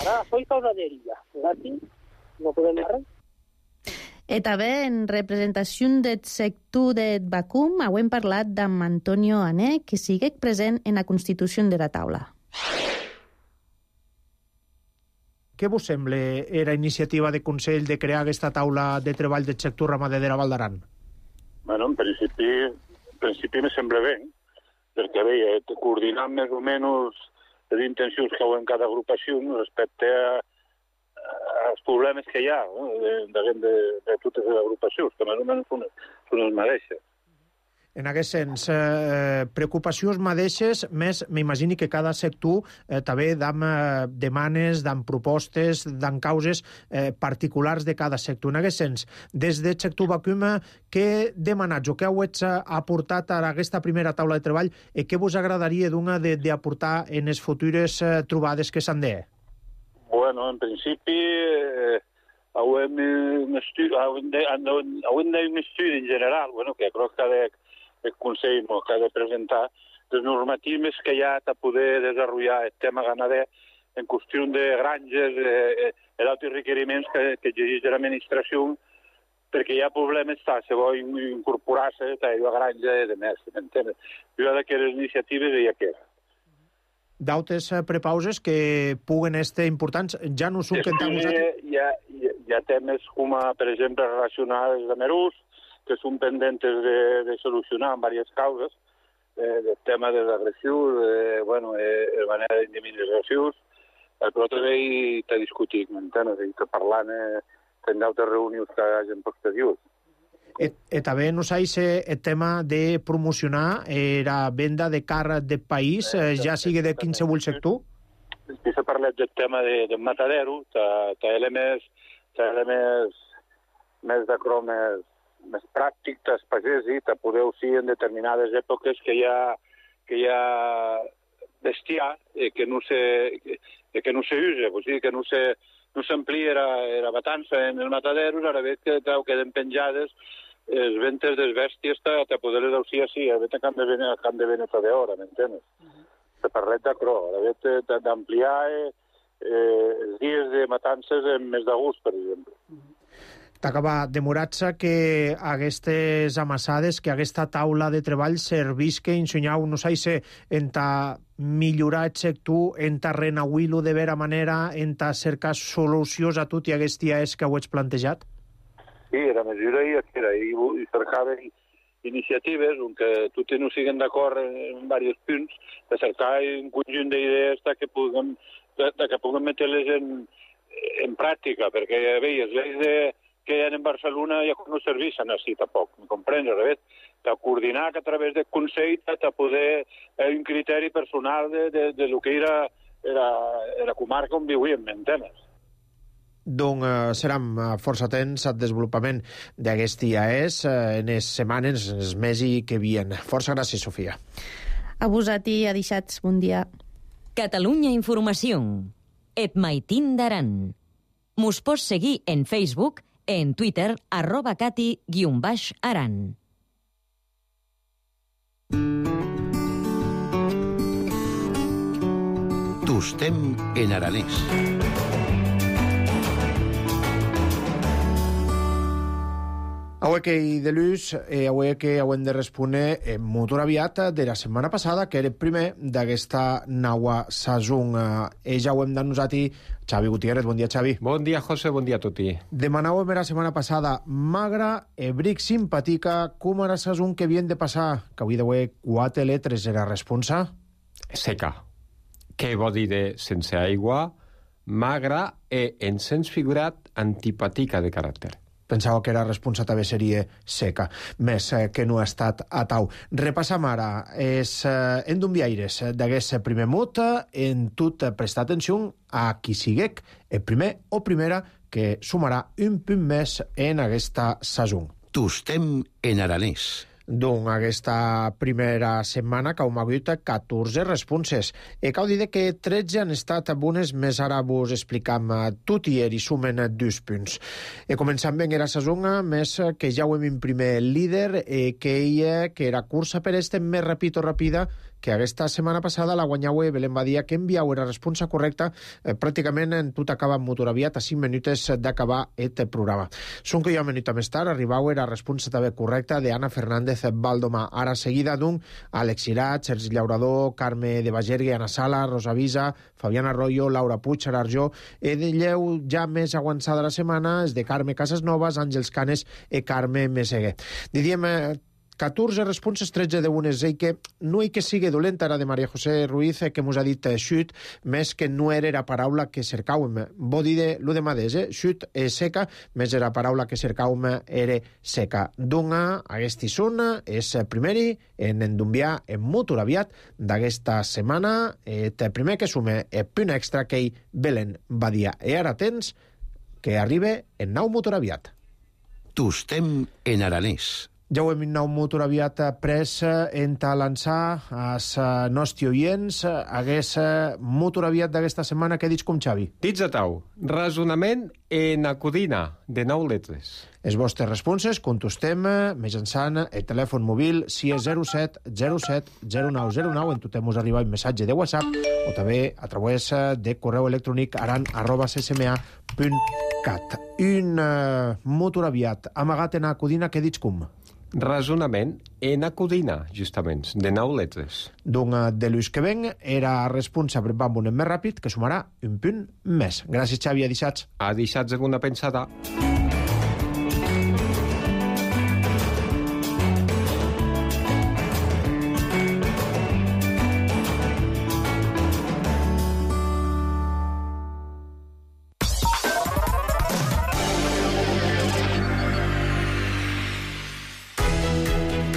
Ara soy causa d'ella. Nosaltres no podem anar res. E també en representació del sector de Bacum hem parlat d'en Antonio Ané, que sigue present en la constitució de la taula. Què vos sembla era iniciativa de Consell de crear aquesta taula de treball del sector ramader de la Val d'Aran? Bueno, en principi, en principi me sembla bé, perquè bé, coordinar més o menys les intencions que hi ha en cada agrupació respecte a els problemes que hi ha, no? de, de, de, de totes les agrupacions, que més o menys són, són els mateixes. En aquest sens, eh, preocupacions mateixes, més m'imagini que cada sector eh, també dam eh, demanes, dam propostes, dam causes eh, particulars de cada sector. En aquest sens, des del sector Bacum, què demanats o què heu aportat a aquesta primera taula de treball i què vos agradaria d'una d'aportar en les futures eh, trobades que s'han de? Bueno, en principi, eh, hauem un estudi, hauem de, hauem de un estudi en general, bueno, que crec que ha de, el Consell no, que ha de presentar les normatives que hi ha per poder desenvolupar el tema ganader en qüestió de granges, eh, eh, altres requeriments que, que exigeix l'administració, perquè hi ha problemes, ta, se vol incorporar-se a la granja de més, m'entens? Jo d'aquelles iniciatives hi ha que d'altres prepauses que puguen estar importants, ja no són que entramos... Hi ha, hi, ha, hi ha temes com, per exemple, relacionats amb Merús, que són pendentes de, de solucionar en diverses causes, eh, del tema de l'agressió, de, bueno, eh, de manera d'indemnitzacions, però també hi t'ha discutit, m'entens? I que parlant eh, en d'altres reunions que hi hagi posteriors. E, e també no sé si el tema de promocionar la venda de carn del país, eh, ja sigui de qualsevol sector? Si s'ha parlat del tema de, del matadero, té elements, elements més de cromes més pràctic, t'has pagès i te podeu ser en determinades èpoques que hi ha, que hi ha bestiar eh, que no se, que, que no se usa, o sigui, que no se, no s'amplia la, la batança en el matadero, ara veig que queden penjades les ventes de bèsties a poder-les usar així, a veure que han de venir, han de venir de hora, m'entens? Se parlet d'acrò, a veure d'ampliar eh, eh, els dies de matances en mes d'agost, per exemple. T'acaba demorar-se que aquestes amassades, que aquesta taula de treball servís que ensenyau, no sé si en ta millorar el sector, en ta renauir-lo de vera manera, en ta cercar solucions a tot i aquests dies que ho ets plantejat? Sí, la mesura hi era, i, i cercava iniciatives on que tots no siguin d'acord en, en diversos punts, de cercar un conjunt d'idees que puguem, de, de que puguem metre-les en, en pràctica, perquè veies, les de que hi ha en Barcelona ja no serveixen així tampoc, em comprens, Rebet? De coordinar que a través del Consell de poder eh, un criteri personal de, de, de lo que era la, la comarca on vivíem, m'entenes? Doncs eh, serem força atents al desenvolupament d'aquest I A E S eh, en les setmanes, en els mesos que vien. Força gràcies, Sofia. A vosaltres, adixats, bon dia. Catalunya Informació. Et maitin d'aran. Mos pots seguir en Facebook, en Twitter, arroba cati guion baix aran. Tostem en aranès. Avui que hi de l'ús, eh, avui que hem de respondre eh, molt aviat de la setmana passada, que era el primer d'aquesta nova saison. Eh, ja ho hem denunciat i Xavi Gutiérrez. Bon dia, Xavi. Bon dia, José, bon dia a tutti. Demanàvem la setmana passada magra, e bric simpatica, com era la saison que havien de passar, que avui d'avui quatre letres era responsa? Seca. Què vol dir de sense aigua? Magra e, en sens figurat, antipatica de caràcter. Pensava que era responsa també seria seca, més eh, que no ha estat a tau. Repassam ara els eh, endumbiaires d'aquest primer mot, en tot prestar atenció a qui siguec el primer o primera que sumarà un punt més en aquesta saison. Tostem en aranès. Doncs aquesta primera setmana que hem hagut catorze responses. E cal dir que tretze han estat bones, més ara vos explicam tot i i sumen dos punts. E començant ben era sazonga, més que ja ho hem imprimer el líder, e que ella, que era cursa per este més ràpid o ràpida, que aquesta setmana passada la guanyaue Belén Badia, que enviau era responsa correcta, eh, pràcticament en tot acaba amb motor aviat a cinc minuts d'acabar aquest programa. Són que jo una minuta més tard arribau era responsa també correcta d'Anna Fernández Valdoma. Ara seguida d'un Àlex Irat, Sergi Llaurador, Carme de Bagergue, Ana Sala, Rosa Visa, Fabiana Arroyo, Laura Puig, Ararjó. E de lleu ja més avançada la setmana és de Carme Casasnovas, Àngels Canes i Carme Meseguer. Diríem eh, catorze responses, tretze de bones, i que no hi que sigui dolenta era de Maria José Ruiz, que mos ha dit xut, més que no era la paraula que cercàvem. Bo dir de lo de madès, eh? Xut és seca, més era la paraula que cercàvem era seca. Dunga, aquesta zona és primeri en endumbiar en motor aviat d'aquesta setmana. Et primer que sume el punt extra que hi Belén Badia. I ara tens que arriba en nou motor aviat. Tostem en aranès. Ja ho hem nou motor aviat pres en ta lançar als nostres oients. Hagués motor aviat d'aquesta setmana, què dits com Xavi? Dits a tau, razonament en acudina, de nou letres. Els vostres responses contestem mitjançant el telèfon mòbil si és zero set zero set zero nou zero nou, en tot mos arriba un missatge de WhatsApp o també a través de correu electrònic aran arroba c s m a punt cat. Un uh, motor aviat amagat en acudina, què dits com? Razonament en acudina, justament, de nou letres. Doncs de l'ús que ven era responsable amb un més ràpid que sumarà un punt més. Gràcies, Xavi, a deixats. A deixats alguna pensada.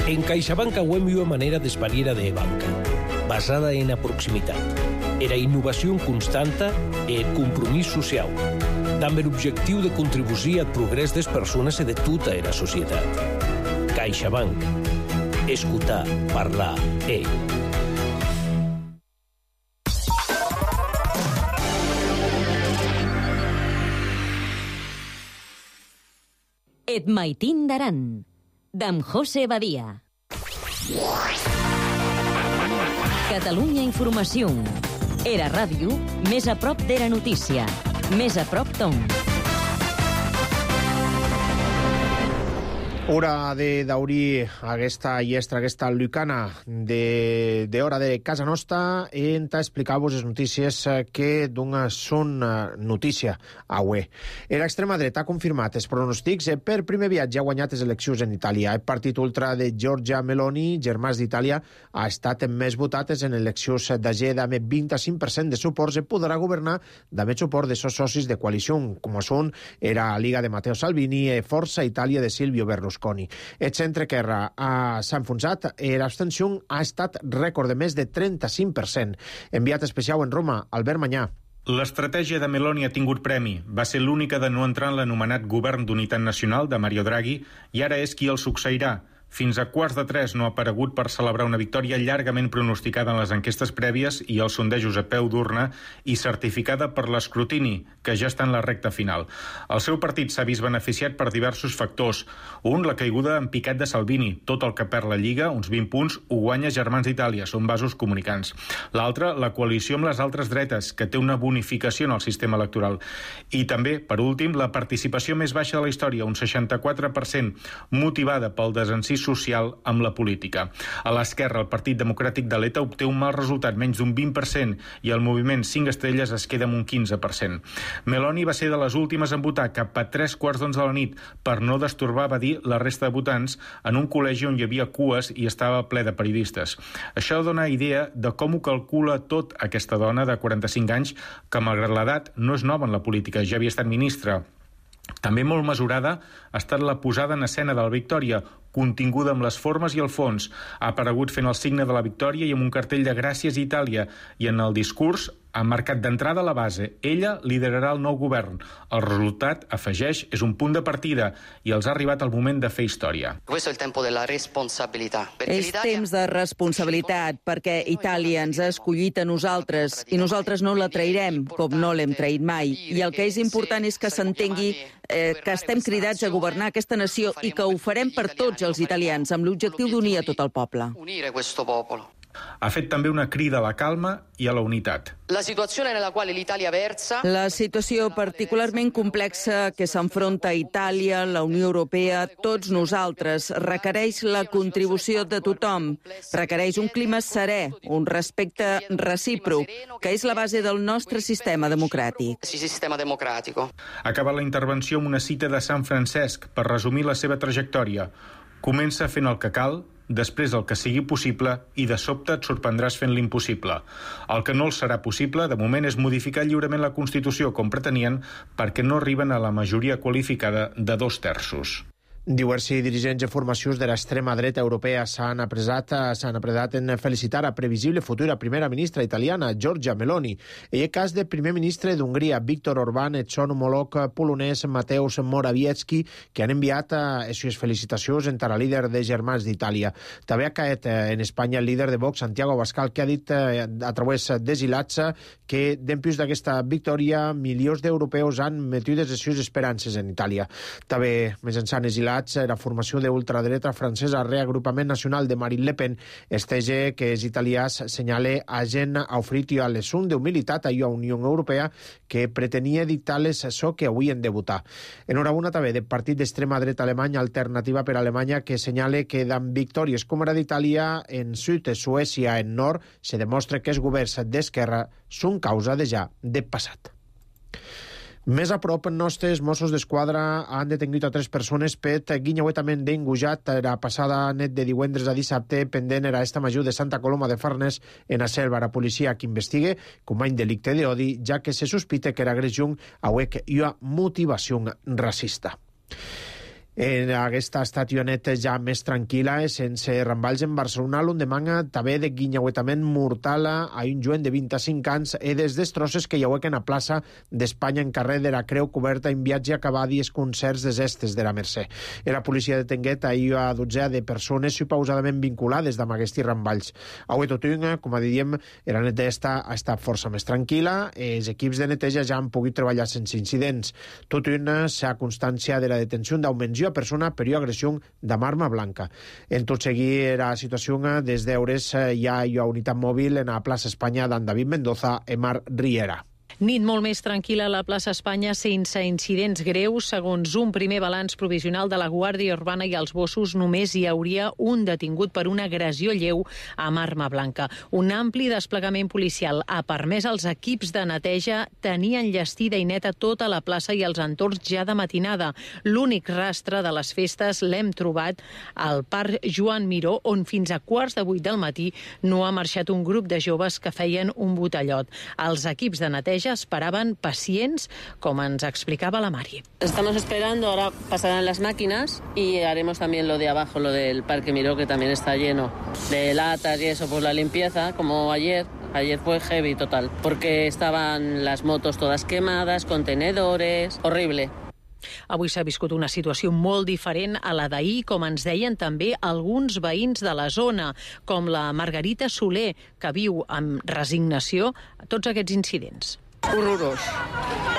En CaixaBank hem una manera d'espariera de banca, basada en la proximitat, era innovació constanta i el compromís social, amb l'objectiu de contribuir al progrés de les persones i de tota la societat. CaixaBank. Escoltar, parlar, e. Et maitín d'Aran, d'en José Badia. Catalunya Informació. Era ràdio més a prop de la notícia. Més a prop ton. Hora de daurir aquesta llestra, aquesta lucana de, de hora de casa nostra en explicar-vos les notícies que donen són notícia avui. L'extrema dreta ha confirmat els pronòstics per primer viatge ha guanyat les eleccions en Itàlia. El partit ultra de Giorgia Meloni, germans d'Itàlia, ha estat més votat en eleccions d'Ageda amb vint-i-cinc per cent de suports i podrà governar amb el suport de seus socis de coalició, com són era Liga de Matteo Salvini i Força Itàlia de Silvio Berlusconi. El centre-esquerra s'ha enfonsat i l'abstenció ha estat rècord de més de trenta-cinc per cent. Enviat especial en Roma, Albert Manyà. L'estratègia de Meloni ha tingut premi. Va ser l'única de no entrar en l'anomenat Govern d'Unitat Nacional de Mario Draghi i ara és qui el succeirà. Fins a quarts de tres no ha aparegut per celebrar una victòria llargament pronosticada en les enquestes prèvies i els sondejos a peu d'urna i certificada per l'escrutini, que ja està en la recta final. El seu partit s'ha vist beneficiat per diversos factors. Un, la caiguda en picat de Salvini. Tot el que perd la Lliga, uns vint punts, ho guanya Germans d'Itàlia, són vasos comunicants. L'altre, la coalició amb les altres dretes, que té una bonificació en el sistema electoral. I també, per últim, la participació més baixa de la història, un seixanta-quatre per cent, motivada pel desencís social amb la política. A l'esquerra, el Partit Democràtic de l'E T A obté un mal resultat, menys d'un vint per cent, i el moviment cinc estrelles es queda amb un quinze per cent. Meloni va ser de les últimes en votar cap a tres quarts d'onze de la nit per no destorbar, va dir, la resta de votants en un col·legi on hi havia cues i estava ple de periodistes. Això dona idea de com ho calcula tot aquesta dona de quaranta-cinc anys que, malgrat l'edat, no és nova en la política, ja havia estat ministra. També molt mesurada ha estat la posada en escena de la victòria, continguda amb les formes i el fons. Ha aparegut fent el signe de la victòria i amb un cartell de Gràcies Itàlia, i en el discurs ha marcat d'entrada la base. Ella liderarà el nou govern. El resultat, afegeix, és un punt de partida i els ha arribat el moment de fer història. Questo è il tempo della responsabilità. És temps de responsabilitat, perquè Itàlia ens ha escollit a nosaltres i nosaltres no la trairem, com no l'hem traït mai. I el que és important és que s'entengui eh, que estem cridats a governar aquesta nació i que ho farem per tots els italians, amb l'objectiu d'unir a tot el poble. Unire questo popolo. Ha fet també una crida a la calma i a la unitat. La situazione nella quale l'Italia versa... La situació particularment complexa que s'enfronta a Itàlia, la Unió Europea, tots nosaltres, requereix la contribució de tothom. Requereix un clima serè, un respecte recíproc, que és la base del nostre sistema democràtic. Sistema democràtico. Acaba la intervenció amb una cita de Sant Francesc per resumir la seva trajectòria. Comença fent el que cal, després el que sigui possible i de sobte et sorprendràs fent l'impossible. El que no els serà possible, de moment, és modificar lliurement la Constitució com pretenien perquè no arriben a la majoria qualificada de dos terços. Diversos dirigents i formacions de l'extrema dreta europea s'han apresat, s'han apredat en felicitar a previsible futura primera ministra italiana, Giorgia Meloni. En el cas del primer ministre d'Hongria, Viktor Orbán, et son homòleg polonès Mateusz Morawiecki, que han enviat les seves felicitacions entre el líder de Germans d'Itàlia. També ha caet en Espanya el líder de Vox, Santiago Abascal, que ha dit a través d'Esilats que dempués d'aquesta victòria milions d'europeus han metides les seves esperances en Itàlia. També, més ençà Esilats, la formació d'ultradreta francesa Reagrupament Nacional de Marine Le Pen estege que els italians senyale agent ha ofrit a l'esun d'humilitat a la Unió Europea que pretenia dictar les so que avui en debutar. Enhorabona també del partit d'extrema dreta alemany Alternativa per Alemanya que senyale que amb victòries com era d'Itàlia en sud, Suècia en nord, se demostra que els governs d'esquerra són causa de ja de passat. Més a prop, nostres Mossos d'Esquadra han detingut a tres persones per guinyauetament d'engujat la passada nit de divendres a dissabte pendent era esta major de Santa Coloma de Farners en la selva. La policia que investigue com a delicte d'odi, ja que se sospita que era agressió a huec i a motivació racista. En aquesta estacioneta ja més tranquil·la, sense ramballs en Barcelona, l'endemà també de guinyauetament mortal a un joven de vint-i-cinc anys i des destrosses que hi ha en la plaça d'Espanya en carrer de la Creu coberta en viatge a acabar dies concerts des estes de la Mercè. La policia detenguet ahir a dotzena de persones supausadament vinculades amb aquests ramballs. Avui tot un, com a diríem, la nit d'esta ha estat força més tranquil·la, els equips de neteja ja han pogut treballar sense incidents. Tot un s'ha constància de la detenció d'augments a persona per agressió d'arma blanca. En tot seguir la situació des d'hores hi ha una unitat mòbil en la plaça Espanya d'en David Mendoza i Mar Riera. Nit molt més tranquil·la a la plaça Espanya sense incidents greus. Segons un primer balanç provisional de la Guàrdia Urbana i els Mossos, només hi hauria un detingut per una agressió lleu amb arma blanca. Un ampli desplegament policial ha permès als equips de neteja tenir enllestida i neta tota la plaça i els entorns ja de matinada. L'únic rastre de les festes l'hem trobat al Parc Joan Miró, on fins a quarts de vuit del matí no ha marxat un grup de joves que feien un botellot. Els equips de neteja esperaban pacients, como nos explicaba la Mari. Estamos esperando, ahora pasarán las máquinas y haremos también lo de abajo, lo del Parque Miró, que también está lleno de latas y eso, pues la limpieza, como ayer. Ayer fue heavy total, porque estaban las motos todas quemadas, contenedores, horrible. Avui s'ha viscut una situació molt diferent a la d'ahir, com ens deien també alguns veïns de la zona, com la Margarita Soler, que viu amb resignació tots aquests incidents. Horrorós.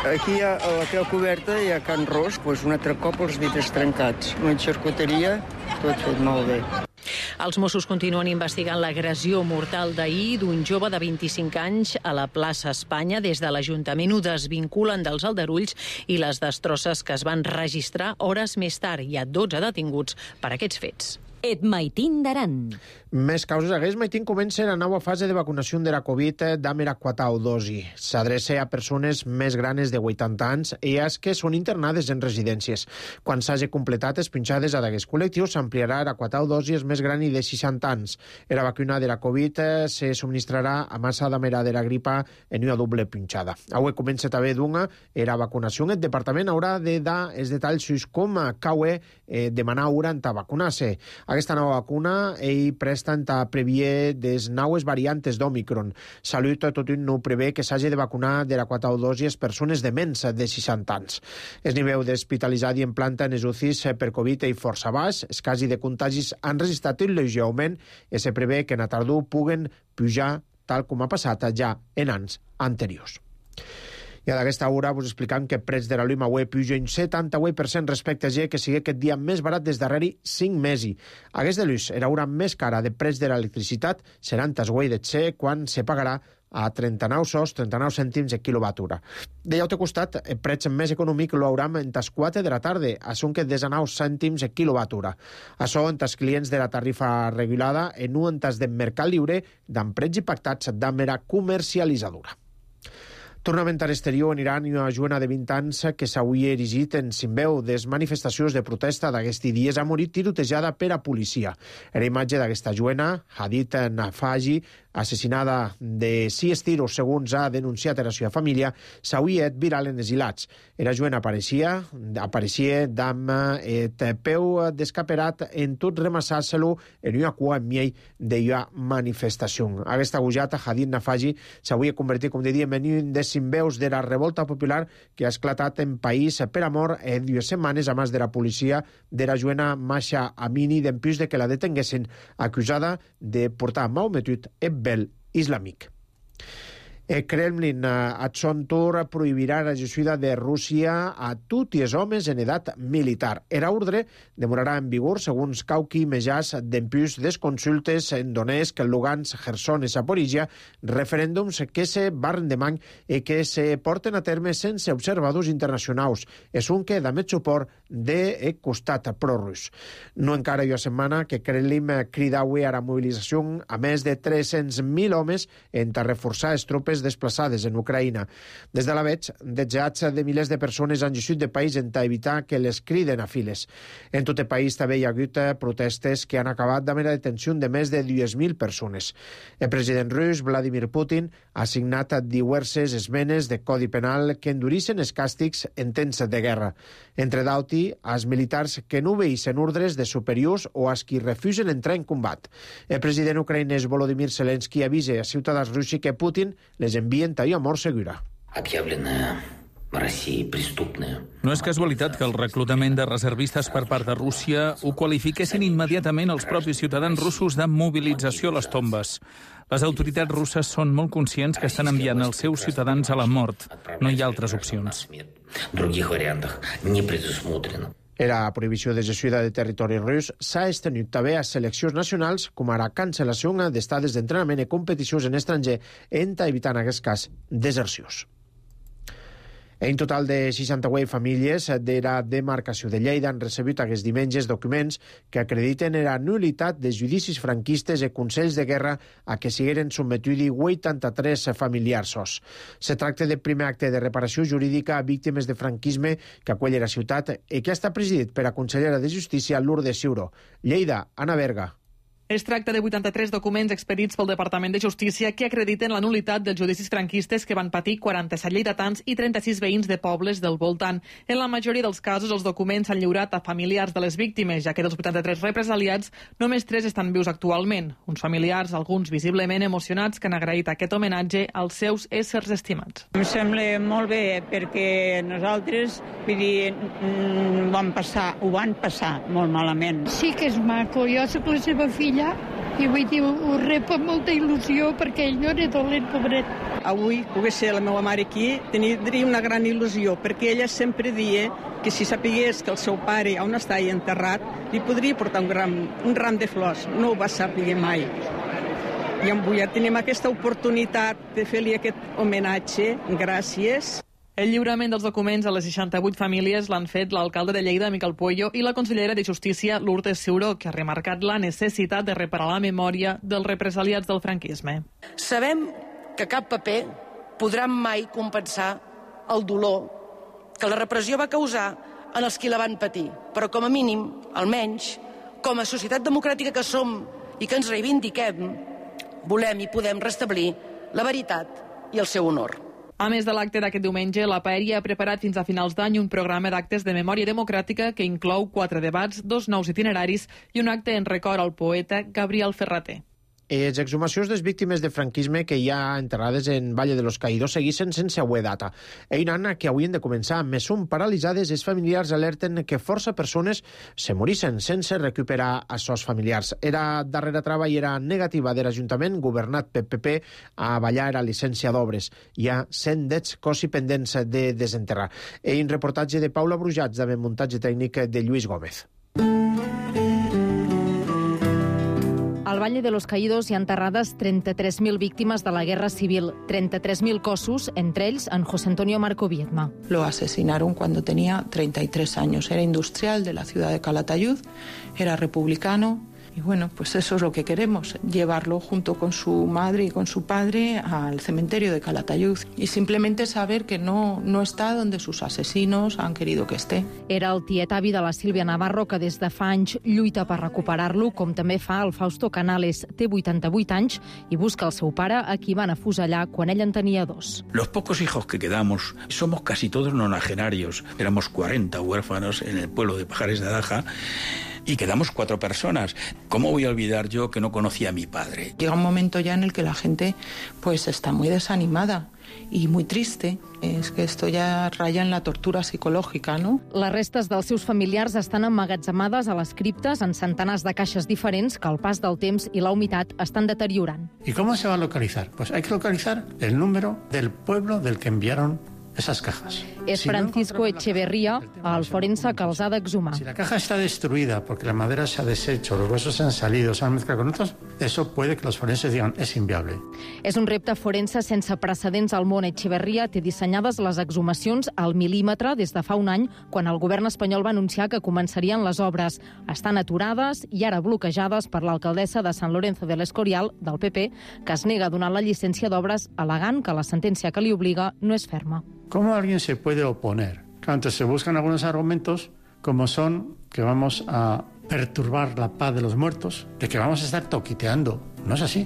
Aquí hi ha a la Creu Coberta, hi ha Can Ros, doncs un altre cop els vidres trencats. Una xarcuteria, tot fet molt bé. Els Mossos continuen investigant l'agressió mortal d'ahir d'un jove de vint-i-cinc anys a la plaça Espanya. Des de l'Ajuntament ho desvinculen dels aldarulls i les destrosses que es van registrar hores més tard. Hi ha dotze detinguts per aquests fets. Et Maitín d'Aran. Més causes. Aquest Maitín comença la nova fase de vacunació de la Covid amb la quarta dosi. S'adreça a persones més granes de vuitanta anys i a que són internades en residències. Quan s'hagi completat les pinxades a d'aquests col·lectius, s'ampliarà la quarta dosi als més grans de seixanta anys. La vacuna de la Covid se subministrarà a massa d'amera de la gripa en una doble pinxada. Avui comença també d'una la vacunació. El departament haurà de dar els detalls com cau eh, demanar urant a vacunar-se. Aquesta nova vacuna ell presta en ta previer des naues variantes d'Omicron. Salut tot un no prevé que s'hagi de vacunar de la quarta dosi les persones de menys de seixanta anys. El nivell d'hospitalitzat i en planta en els U C Is per Covid i força baix. Els casos de contagis han registrat un lleuger augment i se prevé que en la tardor puguen pujar tal com ha passat ja en anys anteriors. I a d'aquesta hora vos explicam que el preu de la llum avui puja un setanta vuit per cent respecte a G, que sigui aquest dia més barat des darrere cinc mesos. Aquesta llum era una més cara de preu de l'electricitat, seran tas avui de C quan se pagarà a trenta-nou sos, trenta-nou cèntims de quilowatt-hora. De l'altre costat, el preu més econòmic lo hauram en tas quatre de la tarda, a son que desenou cèntims de quilowatt-hora. Això en tas clients de la tarifa regulada, en un en tas de mercat lliure, d'en preus pactats d'amera comercialitzadora. Tornament a l'exterior en Iran i una joena de vint anys que s'havia erigit en simbeu des manifestacions de protesta d'aquests dies ha morit tirotejada per a policia. Era imatge d'aquesta joena, Hadid Nafaji, assassinada de sis tiros, segons ha denunciat la seva família, s'havia et viral en els hilats. Era joena apareixia, apareixia d'am et peu descaperat en tot remassar-se-lo en una cua en miei d'una manifestació. Aquesta gujata, Hadid Nafaji, s'havia convertit, com dèiem, en un des simbeus de la revolta popular que ha esclatat en país per amor en dues setmanes a més de la policia de la joena Masha Amini d'empús de que la detenguessin acusada de portar malmetut el vel islàmic. El Kremlin, a son torn, prohibirà la gestió de Rússia a tots els homes en edat militar. Era ordre demorarà en vigor, segons Kauki Mejas, d'empús des consultes en Donetsk, Lugansk, Kherson i Zaporizhia, referèndums que se barren de manc i que se porten a terme sense observadors internacionals. És un que da més suport de costat prorus. No encara hi ha setmana que Kremlin crida avui a la mobilització a més de tres-cents mil homes en reforçar les tropes desplaçades en Ucraïna. Des de la veig, desjats de milers de persones han llegit de país en evitar que les criden a files. En tot el país també hi ha hagut protestes que han acabat amb la detenció de més de dues mil persones. El president rus, Vladimir Putin, ha signat diverses esmenes de Codi Penal que endureixen els càstigs en temps de guerra. Entre d'altres, als militars que no obeeixen ordres de superiors o als qui refusen entrar en combat. El president ucraïnès Volodymyr Zelensky avisa a ciutadans russos que Putin les envien a mort segura. No és casualitat que el reclutament de reservistes per part de Rússia ho qualifiquessin immediatament els propis ciutadans russos de mobilització a les tombes. Les autoritats russes són molt conscients que estan enviant els seus ciutadans a la mort. No hi ha altres opcions. La prohibició de gestió de territori rus s'ha estenut també a seleccions nacionals, com ara cancel·lació d'estades d'entrenament i competicions en estranger, en evitant en aquest cas desercions. En total de seixanta-vuit famílies de la demarcació de Lleida han recebut aquests diumenges documents que acrediten la nul·litat de judicis franquistes i consells de guerra a què sigueren sotmetuts vuitanta-tres familiars. Se tracta del primer acte de reparació jurídica a víctimes de franquisme que acull la ciutat i que ha estat presidit per la consellera de Justícia Lourdes Ciuró. Lleida, Anna Berga. Es tracta de vuitanta-tres documents expedits pel Departament de Justícia que acrediten la nul·litat dels judicis franquistes que van patir quaranta-set lleidatans i trenta-sis veïns de pobles del voltant. En la majoria dels casos, els documents s'han lliurat a familiars de les víctimes, ja que dels vuitanta-tres represaliats, només tres estan vius actualment. Uns familiars, alguns visiblement emocionats, que han agraït aquest homenatge als seus éssers estimats. Em sembla molt bé perquè nosaltres, vull dir, ho van passar, ho van passar molt malament. Sí que és maco, jo soc la seva filla i vull dir, ho rep amb molta il·lusió perquè ell no era dolent, pobret. Avui pogués ser la meva mare aquí, tindria una gran il·lusió, perquè ella sempre dia que si sapigués que el seu pare on està enterrat, li podria portar un, gram, un ram de flors. No ho va saber mai. I avui ja tenim aquesta oportunitat de fer-li aquest homenatge. Gràcies. El lliurament dels documents a les seixanta-vuit famílies l'han fet l'alcalde de Lleida, Miquel Puello, i la consellera de Justícia, Lourdes Ciuró, que ha remarcat la necessitat de reparar la memòria dels represaliats del franquisme. Sabem que cap paper podrà mai compensar el dolor que la repressió va causar en els qui la van patir, però com a mínim, almenys, com a societat democràtica que som i que ens reivindiquem, volem i podem restablir la veritat i el seu honor. A més de l'acte d'aquest diumenge, la Paeria ha preparat fins a finals d'any un programa d'actes de memòria democràtica que inclou quatre debats, dos nous itineraris i un acte en record al poeta Gabriel Ferrater. Les exhumacions dels víctimes de franquisme que hi ha enterrades en Valle de los Caídos segueixen sense haver data. Eina que haurien de començar, més són paralitzades, els familiars alerten que força persones se morissen sense recuperar a sos familiars. Era darrera trava i era negativa de l'Ajuntament, governat pel P P, a ballar a llicència d'obres. Hi ha cent dets cosi pendents de desenterrar. En reportatge de Paula Brujats, amb muntatge tècnic de Lluís Gómez. Al Valle de los Caídos hi ha enterrades trenta-tres mil víctimes de la Guerra Civil, treinta-tres mil cossos, entre ells en José Antonio Marco Viedma. Lo asesinaron cuando tenía treinta y tres años. Era industrial de la ciudad de Calatayud, era republicano. Y bueno, pues eso es lo que queremos, llevarlo junto con su madre y con su padre al cementerio de Calatayud y simplemente saber que no, no está donde sus asesinos han querido que esté. Era el tiet avi de la Sílvia Navarro, que des de fa anys lluita per recuperar-lo, com també fa el Fausto Canales. Té vuitanta-vuit anys i busca el seu pare, a qui van afusellar quan ell en tenia dos. Los pocos hijos que quedamos somos casi todos nonagenarios. Éramos cuarenta huérfanos en el pueblo de Pajares de Adaja. Y quedamos cuatro personas. ¿Cómo voy a olvidar yo que no conocía a mi padre? Llega un momento ya en el que la gente pues está muy desanimada y muy triste. És que esto ya raya en la tortura psicològica, ¿no? Les restes dels seus familiars estan emmagatzemades a les criptes en centenars de caixes diferents que el pas del temps i la humitat estan deteriorant. ¿Y cómo se va a localizar? Pues hay que localizar el número del pueblo del que enviaron esas cajas. És Francisco Echeverría, el forense que els ha d'exhumar. Si la caja está destruida porque la madera se ha deshecho, los huesos se han salido, se han mezclado con otros, eso puede que los forenses digan es inviable. És un repte forense sense precedents al món. Echeverría té dissenyades les exhumacions al mil·límetre des de fa un any, quan el govern espanyol va anunciar que començarien les obres. Estan aturades i ara bloquejades per l'alcaldessa de San Lorenzo del Escorial, del P P, que es nega a donar la llicència d'obres al·legant que la sentència que li obliga no és ferma. ¿Cómo alguien se puede oponer? Claro, entonces se buscan algunos argumentos como son que vamos a perturbar la paz de los muertos, de que vamos a estar toquiteando. No és així.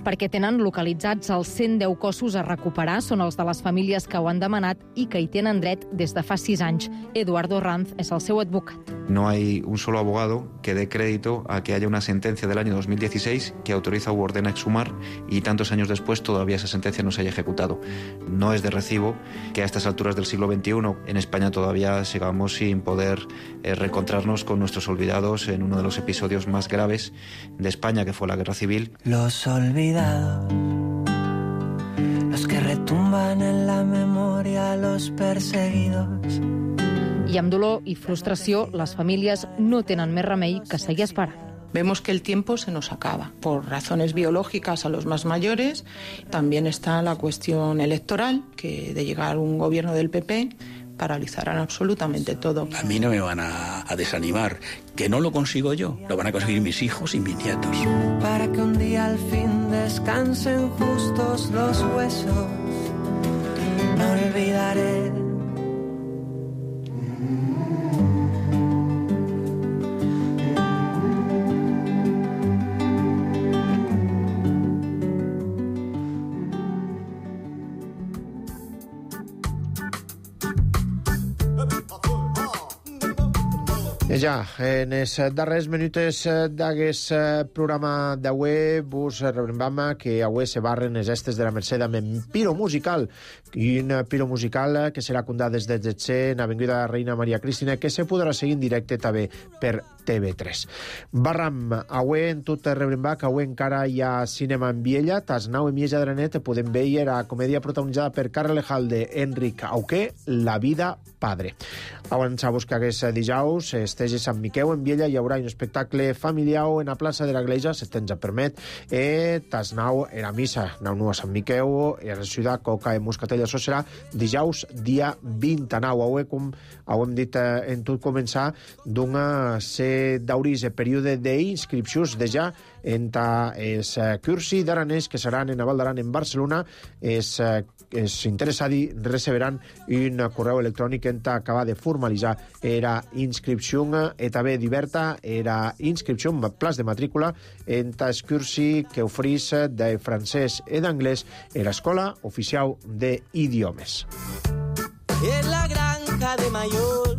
Perquè tenen localitzats els cent deu cossos a recuperar, són els de les famílies que ho han demanat i que hi tenen dret des de fa sis anys. Eduardo Ranz és el seu advocat. No hay un solo abogado que dé crédito a que haya una sentencia del año dos mil dieciséis que autoriza u ordena exhumar y tantos años después todavía esa sentencia no se haya ejecutado. No es de recibo que a estas alturas del siglo veintiuno en España todavía sigamos sin poder eh, reencontrarnos con nuestros olvidados en uno de los episodios más graves de España, que fue la Guerra Civil. Los olvidados, los que retumban en la memoria, los perseguidos. I amb dolor i frustració, les famílies no tenen més remei que seguir esperant. Vemos que el tiempo se nos acaba por razones biológicas a los más mayores. También está la cuestión electoral, que de llegar un gobierno del P P paralizarán absolutamente todo. A mí no me van a, a desanimar, que no lo consigo yo, lo van a conseguir mis hijos y mis nietos. Para que un día al fin descansen justos los huesos, no olvidaré. Ja, en els darrers minuts d'aquest programa d'avui vos recordem que avui se barren les estes de la Mercè amb en Piro Musical, i un Piro Musical que serà condat des de Getxer en Avinguda Reina Maria Cristina, que se podrà seguir en directe també per T V tres. Barram, avui en tot Rebrimbac, avui encara hi ha cinema en Viella, tas nau i mitja de la nit podem veure la comèdia protagonitzada per Carles Lejalde, Enric Auqué, La vida padre. Abans a buscar aquest dijous, estès a Sant Miqueu, en Viella, hi haurà un espectacle familiar en la plaça de la Iglesia, si temps ja permet, e tas nau era missa, nau nu a Sant Miqueu, i a la ciutat, Coca i Moscatell, això serà dijous, dia vint-i-nou. Avui, com hem dit en tot començar, d'una se d'aurís el període d'inscripcions de ja enta es cursi d'aranès que seran en Val d'Aran en Barcelona. Es, es interessadi receberan un correu electrònic enta acabar de formalitzar era inscripció e també diverta era inscripció en plaç de matrícula enta es cursi que oferís de francès e d'anglès en l'Escola Oficial d'Idiomes. En la granja de Mayor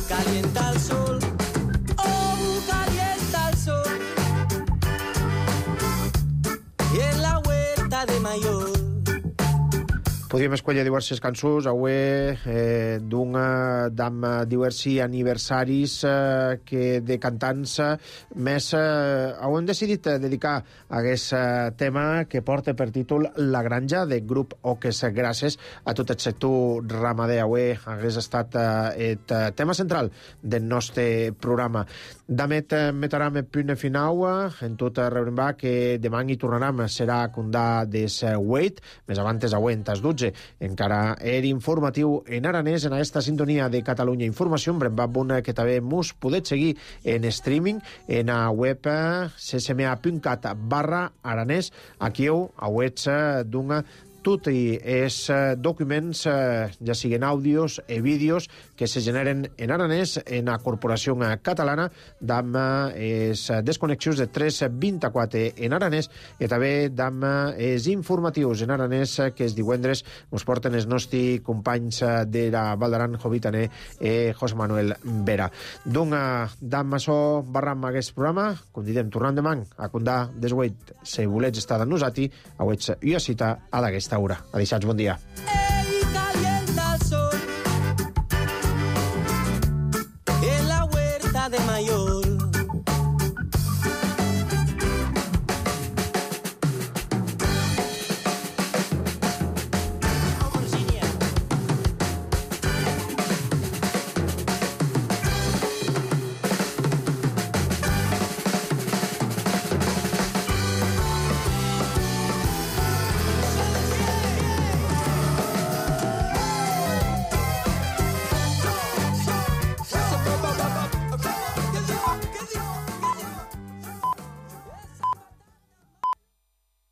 calienta el sol, oh, calienta el sol. Y en la huerta de Mayor podríem escollir diverses cançons avui eh, d'una d'am diversi aniversaris eh, que de cantants eh, més eh, hem decidit dedicar a aquest eh, tema que porta per títol La Granja de grup Oques gràcies a tot el sector ramader. Avui hagués estat eh, el tema central del nostre programa. Damet eh, metarem el punt final en tot rebrem que demà hi tornarem serà condà des vuit més abans avui en tas dotze encara era informatiu en aranès en aquesta sintonia de Catalunya Informació en Brembabun que també mos podeu seguir en streaming en a web ccma punt cat barra aranès aquí heu a web d'una tot i els documents, ja siguen àudios i vídeos que se generen en aranès en la Corporació Catalana d'amb els desconnexions de tres vint-i-quatre en aranès i també d'amb els informatius en aranès que els divendres ens porten els nostres companys de la Val d'Aran, Jovitaner i José Manuel Vera. Doncs d'amb això barram aquest programa, convidem tornant demà a condar des vuit si volets estar amb nosaltres, a wets i a cita a d'aquesta hora. Adéu, bon dia.